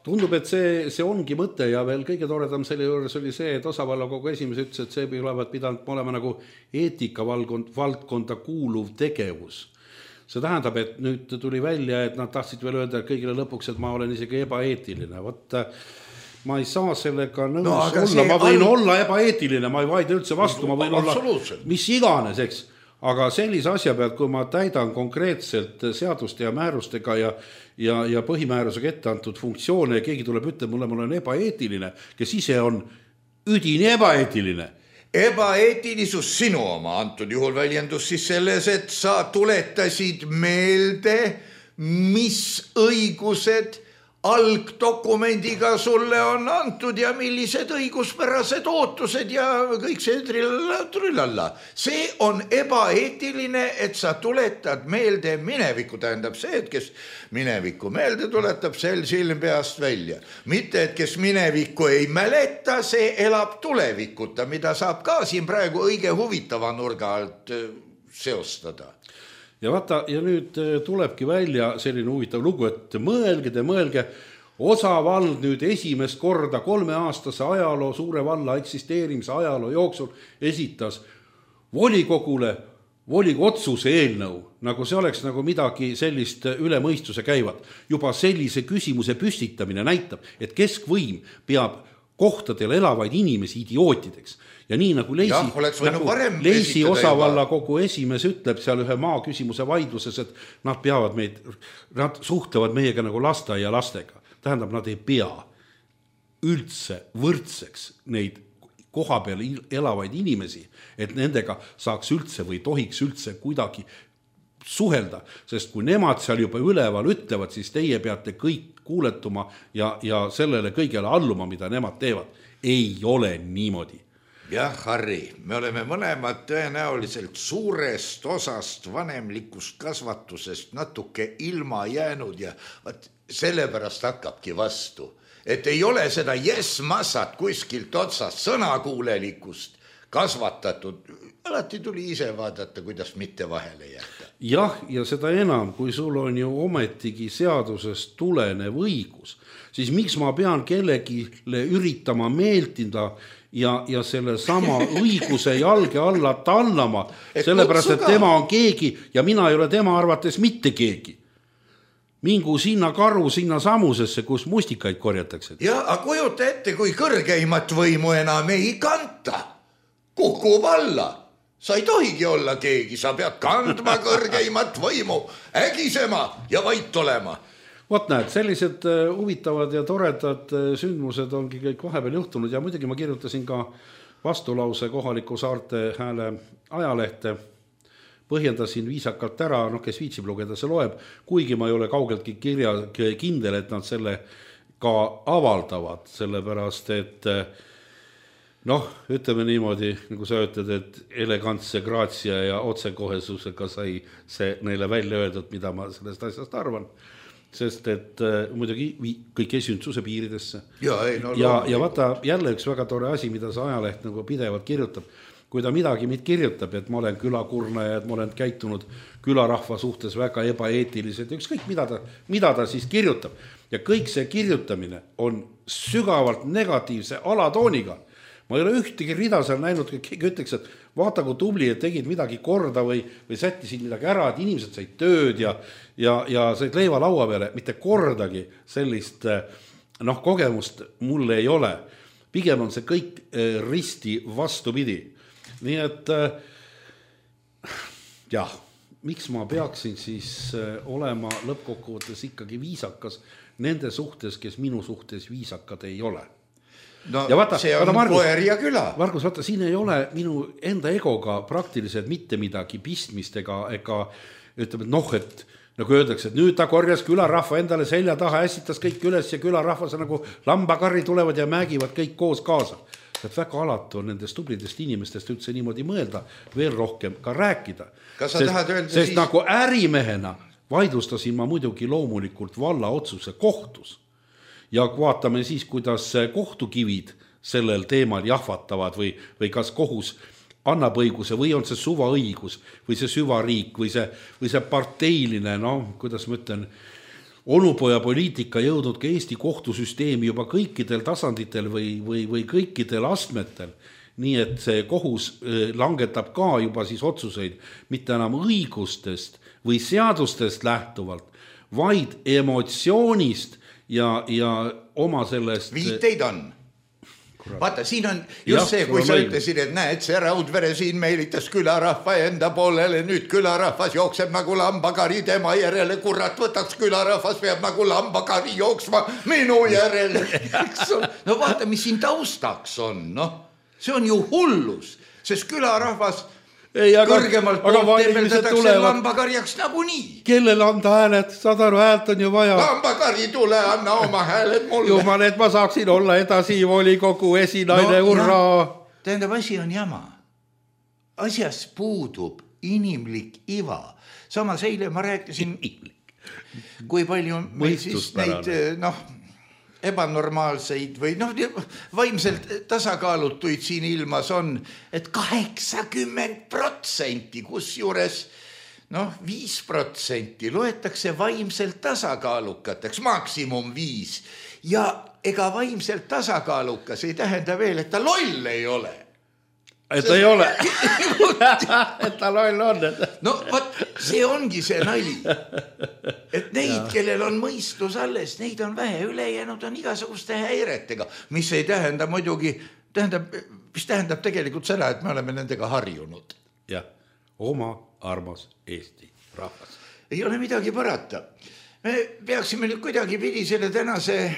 Speaker 4: tundub, et see ongi mõte ja veel kõige toredam selle juures oli see, et osavallakogu esimees ütles, et see olevat pidanud olema nagu eetikavaldkonda kuuluv tegevus. See tähendab, et nüüd tuli välja, et nad tahtsid veel öelda kõigile lõpuks, et ma olen isegi ebaeetiline. Võt, ma ei saa sellega nõus olla, ma võin olla ebaeetiline, ma ei vaida üldse vastu, ma võin olla mis iganes, eks. Aga sellise asja pealt, kui ma täidan konkreetselt seaduste ja määrustega ja põhimäärusega ette antud funktsioone ja keegi tuleb ütleb mulle, mul on ebaeetiline, kes ise on üdini ebaeetiline.
Speaker 3: Ebaeetilisus sinu oma antud juhul väljendus siis selles, et sa tuletasid meelde, mis õigused algdokumendiga sulle on antud ja millised õiguspärased ootused ja kõik see trillalla. See on ebaeetiline, et sa tuletad meelde minevikku, tähendab see, et kes minevikku meelde tuletab, sel silm peast välja. Mitte, et kes minevikku ei mäleta, see elab tulevikuta, mida saab ka siin praegu õige huvitava nurga alt seostada.
Speaker 4: Ja vaata, ja nüüd tulebki välja selline huvitav lugu, et mõelge, osavald nüüd esimest korda 3-aastase ajaloo, suure valla eksisteerimise ajaloo jooksul esitas volikogule otsuse eelnõu, nagu see oleks nagu midagi sellist üle mõistuse käivat. Juba sellise küsimuse püstitamine näitab, et keskvõim peab kohtadel elavaid inimesi idiootideks. Ja nii nagu Leisi osavalla kogu esimees ütleb seal ühe maaküsimuse vaidluses, et nad suhtlevad meiega nagu lasteaia lastega. Tähendab, nad ei pea üldse võrdseks neid koha peal elavaid inimesi, et nendega saaks üldse või tohiks üldse kuidagi suhelda, sest kui nemad seal juba üleval ütlevad, siis teie peate kõik kuuletuma ja sellele kõigele alluma, mida nemad teevad. Ei ole niimoodi.
Speaker 3: Jah, Harri, me oleme mõlemad tõenäoliselt suurest osast vanemlikust kasvatusest natuke ilma jäänud ja sellepärast hakkabki vastu. Et ei ole seda yes-massat kuskilt otsast sõnakuulelikust kasvatatud. Alati tuli ise vaadata, kuidas mitte vahele jätta.
Speaker 4: Jah, ja seda enam, kui sul on ju ometigi seadusest tulenev õigus, siis miks ma pean kellegile üritama meeltida ja selle sama õiguse jalge alla tallama, sellepärast, et tema on keegi ja mina ei ole tema arvates mitte keegi. Mingu sinna karu sinna samusesse, kus mustikaid korjatakse.
Speaker 3: Ja, aga kujuta ette, kui kõrgeimat võimu enam ei kanta. Kukub alla. Sa ei tohigi olla keegi, sa pead kandma kõrgeimat võimu, ägisema ja vait olema.
Speaker 4: Vot näed, sellised huvitavad ja toredad sündmused ongi kõik vahepeal juhtunud ja muidugi ma kirjutasin ka vastulause kohaliku Saarte Hääle ajalehte, põhjendasin viisakalt ära, kes viitsib lugeda, see loeb, kuigi ma ei ole kaugeltki kindel, et nad selle ka avaldavad, sellepärast, et ütleme niimoodi, nagu sa ütled, et elegantse graatsia ja otsekohesusega sai see neile välja öeldud, mida ma sellest asjast arvan. Sest et muidugi kõik esündsuse piiridesse. Ja vaata jälle üks väga tore asi, mida see ajaleht nagu pidevalt kirjutab. Kui ta midagi kirjutab, et ma olen külakurnaja, et ma olen käitunud külarahva suhtes väga ebaeetiliselt, ükskõik mida ta siis kirjutab. Ja kõik see kirjutamine on sügavalt negatiivse alatooniga. Ma ei ole ühtegi rida seal näinud, kui keegi ütleks, et vaata kui tubli, et tegid midagi korda või sättisid midagi ära, et inimesed said tööd ja said leiva laua peale. Mitte kordagi sellist kogemust mulle ei ole. Pigem on see kõik risti vastupidi. Nii et miks ma peaksin siis olema lõppkokkuvõttes ikkagi viisakas nende suhtes, kes minu suhtes viisakad ei ole.
Speaker 3: Ja vaata, see on koer ja küla.
Speaker 4: Margus, vaata, siin ei ole minu enda egoga praktiliselt mitte midagi pistmist ega ütleme, et nagu öeldakse, et nüüd ta korjas külarahva endale selja taha, ässitas kõik üles ja külarahvas nagu lambakarri tulevad ja määgivad kõik koos kaasa. Et väga alatu on nendest tublidest inimestest üldse niimoodi mõelda, veel rohkem ka rääkida. Sest nagu ärimehena vaidlustasin ma muidugi loomulikult valla otsuse kohtus. Ja vaatame siis, kuidas kohtukivid sellel teemal jahvatavad või kas kohus annab õiguse või on see suvaõigus või see süvariik või see parteiline, kuidas ma ütlen, onupoja poliitika jõudnud ka Eesti kohtusüsteemi juba kõikidel tasanditel või kõikidel astmetel. Nii et see kohus langetab ka juba siis otsuseid mitte enam õigustest või seadustest lähtuvalt, vaid emotsioonist ja oma sellest...
Speaker 3: Viiteid on. Vaata, siin on just see, kui sa ütlesid, et näed, see Raudvere siin meelitas külarahva enda poolele, nüüd külarahvas jookseb nagu lambakari tema järele, kurat võtaks külarahvas, peab nagu lambakari jooksma minu järele. No vaata, mis siin taustaks on, noh, see on ju hullus, sest külarahvas kõrgemalt poolt temmeldatakse lambakarjaks nagunii. Kellele anda hääled? Saad aru, häält on ju vaja. Lambakari tule, anna oma hääled mulle.
Speaker 4: Jumal, et ma saaksin olla edasi volikogu esinaine, urraa.
Speaker 3: Tähendab, asi on jama. Asjas puudub inimlik iva. Samas eile ma rääkisin, kui palju meil siis neid, ebanormaalseid või vaimselt tasakaalutuid siin ilmas on, et 80%, kusjuures 5% loetakse vaimselt tasakaalukateks, maksimum 5. Ja ega vaimselt tasakaalukas ei tähenda veel, et ta loll ei ole.
Speaker 4: Et ta ei ole. Et ta loll on.
Speaker 3: No võt, see ongi see nali. Et neid, kellel on mõistus alles, neid on vähe, ülejäänud on igasuguste häiretega, mis ei tähenda muidugi, mis tähendab tegelikult seda, et me oleme nendega harjunud.
Speaker 4: Jah, oma armas Eesti rahvas.
Speaker 3: Ei ole midagi parata. Me peaksime nüüd kuidagi pidi selle tänase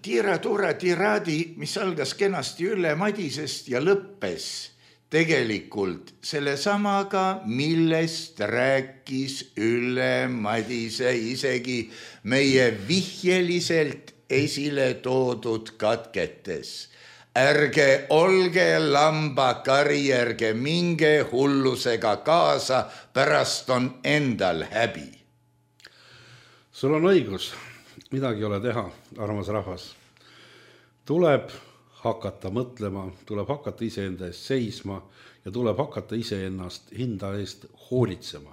Speaker 3: tiira-tuura tiraadi, mis algas kenasti Ülle Madisest ja lõppes tegelikult selle samaga, millest rääkis Ülle Madise isegi meie vihjeliselt esile toodud katketes. Ärge olge lambakari, ärge minge hullusega kaasa, pärast on endal häbi.
Speaker 4: Sul on õigus, midagi ei ole teha, armas rahvas. Tuleb hakata mõtlema, tuleb hakata iseenda eest seisma ja tuleb hakata iseennast hinda eest hoolitsema.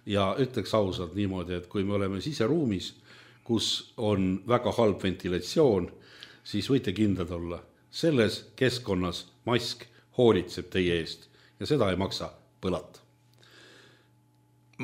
Speaker 4: Ja ütleks ausalt niimoodi, et kui me oleme siseruumis, kus on väga halb ventilatsioon, siis võite kindlad olla. Selles keskkonnas mask hoolitseb teie eest ja seda ei maksa põlata.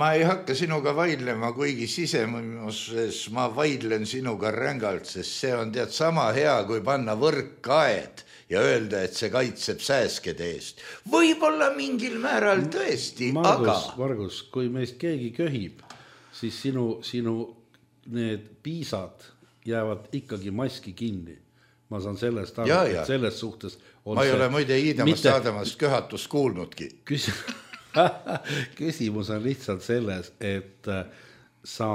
Speaker 3: Ma ei hakka sinuga vaidlema, kuigi sisemuses ma vaidlen sinuga rängalt, sest see on tead sama hea, kui panna võrkkaed ja öelda, et see kaitseb sääskede eest. Võib-olla mingil määral tõesti,
Speaker 4: Margus, kui meist keegi köhib, siis sinu need piisad jäävad ikkagi maski kinni. Ma saan sellest aru, et selles suhtes on
Speaker 3: ma ei ole muide Iidamast saadamast köhatust kuulnudki.
Speaker 4: Küsimus on lihtsalt selles, et sa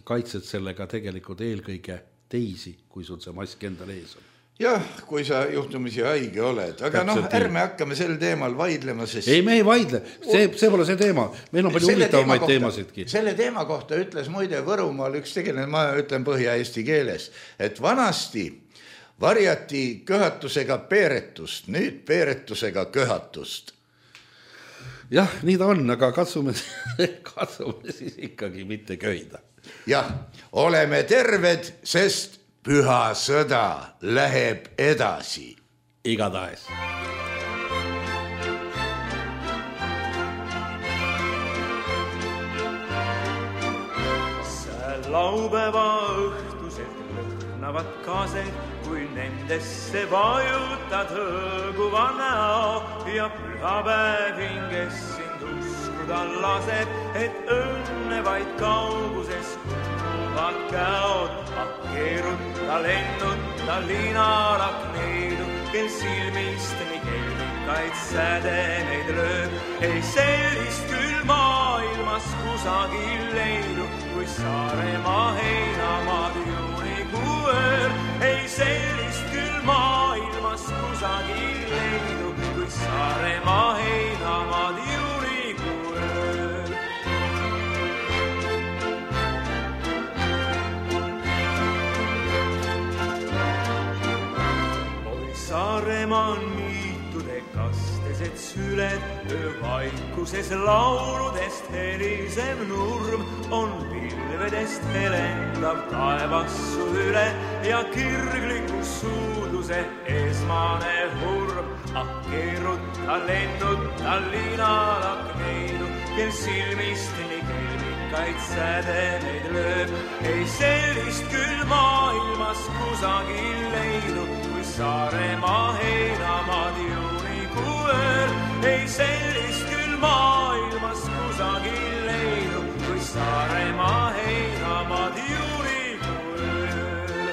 Speaker 4: kaitsed sellega tegelikult eelkõige teisi, kui sul see mask endal ees on.
Speaker 3: Jah, kui sa juhtumisi haige oled, aga ärme hakkame sel teemal vaidlema, sest...
Speaker 4: Ei, me ei vaidle, see pole see teema, meil on palju huvitavamaid teemasidki.
Speaker 3: Selle teema kohta ütles muide Võrumaal üks tegeline, ma ütlen põhja-eesti keeles, et vanasti varjati köhatusega peeretust, nüüd peeretusega köhatust.
Speaker 4: Jah, nii ta on, aga katsume siis ikkagi mitte köhida.
Speaker 3: Jah, oleme terved, sest püha sõda läheb edasi.
Speaker 4: Igatahes.
Speaker 5: See laupäeva õhtuselt lõhnavad kaased, kui nendesse vajutad hõõguva näo ja pühapäev hinges sind uskuda laseb, et õnne vaid kauguses kuuluvad käod. Keerutta lennutta linalak neidu, kel silmist nii kelmikaid sädemeid lööb. Ei sellist küll maailmas kusagil leidu, kui Saaremaa heinamaad juunikuu ööl. Ei sellist küll maailmas kusagil leidu, kui Saaremaa heinamaad juunikuu ööl. Saaremaa on niitude kastes, et süled, öövaikuses lauludest helisev nurm on pilvedest helendav taevassu üle ja kirgliku suudluse esmane hurm. Ah, keeruta, lennuta linalakneidu, kel silmist nii kelmikaid sädemeid lööb. Ei sellist küll maailmas kusagil leidu, kui Saaremaa heinamaad juunikuu ööl. Ei sellist küll maailmas kusagil leidu, kui Saaremaa heinamaad juunikuu ööl.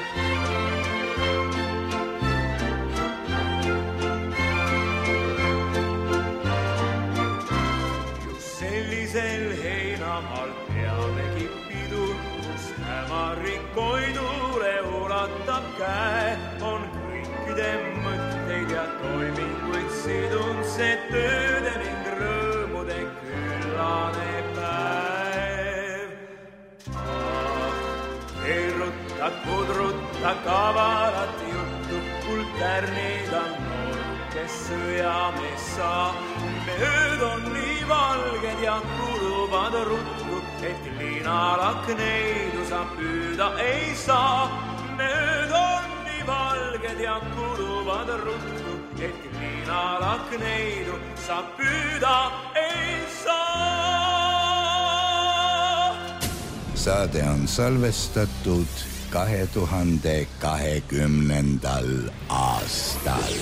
Speaker 5: Just sellisel heinamaal peamegi pidu, kus hämarik koidule ulatab käe, on kõikide mõtteid ja toiminguid sidun see tööde ning rõõmude küllane päev. Keerutad, pudrutad kavalat juttu, kuld tärnida noorukes sõjamees saa. Ööd on nii valged ja kuluvad ruttu, et linalakneidu sa püüda ei saa. Ööd on nii valged ja kuluvad ruttu, et linalakneidu sa püüda ei saa.
Speaker 3: Saade on salvestatud 2020. aastal.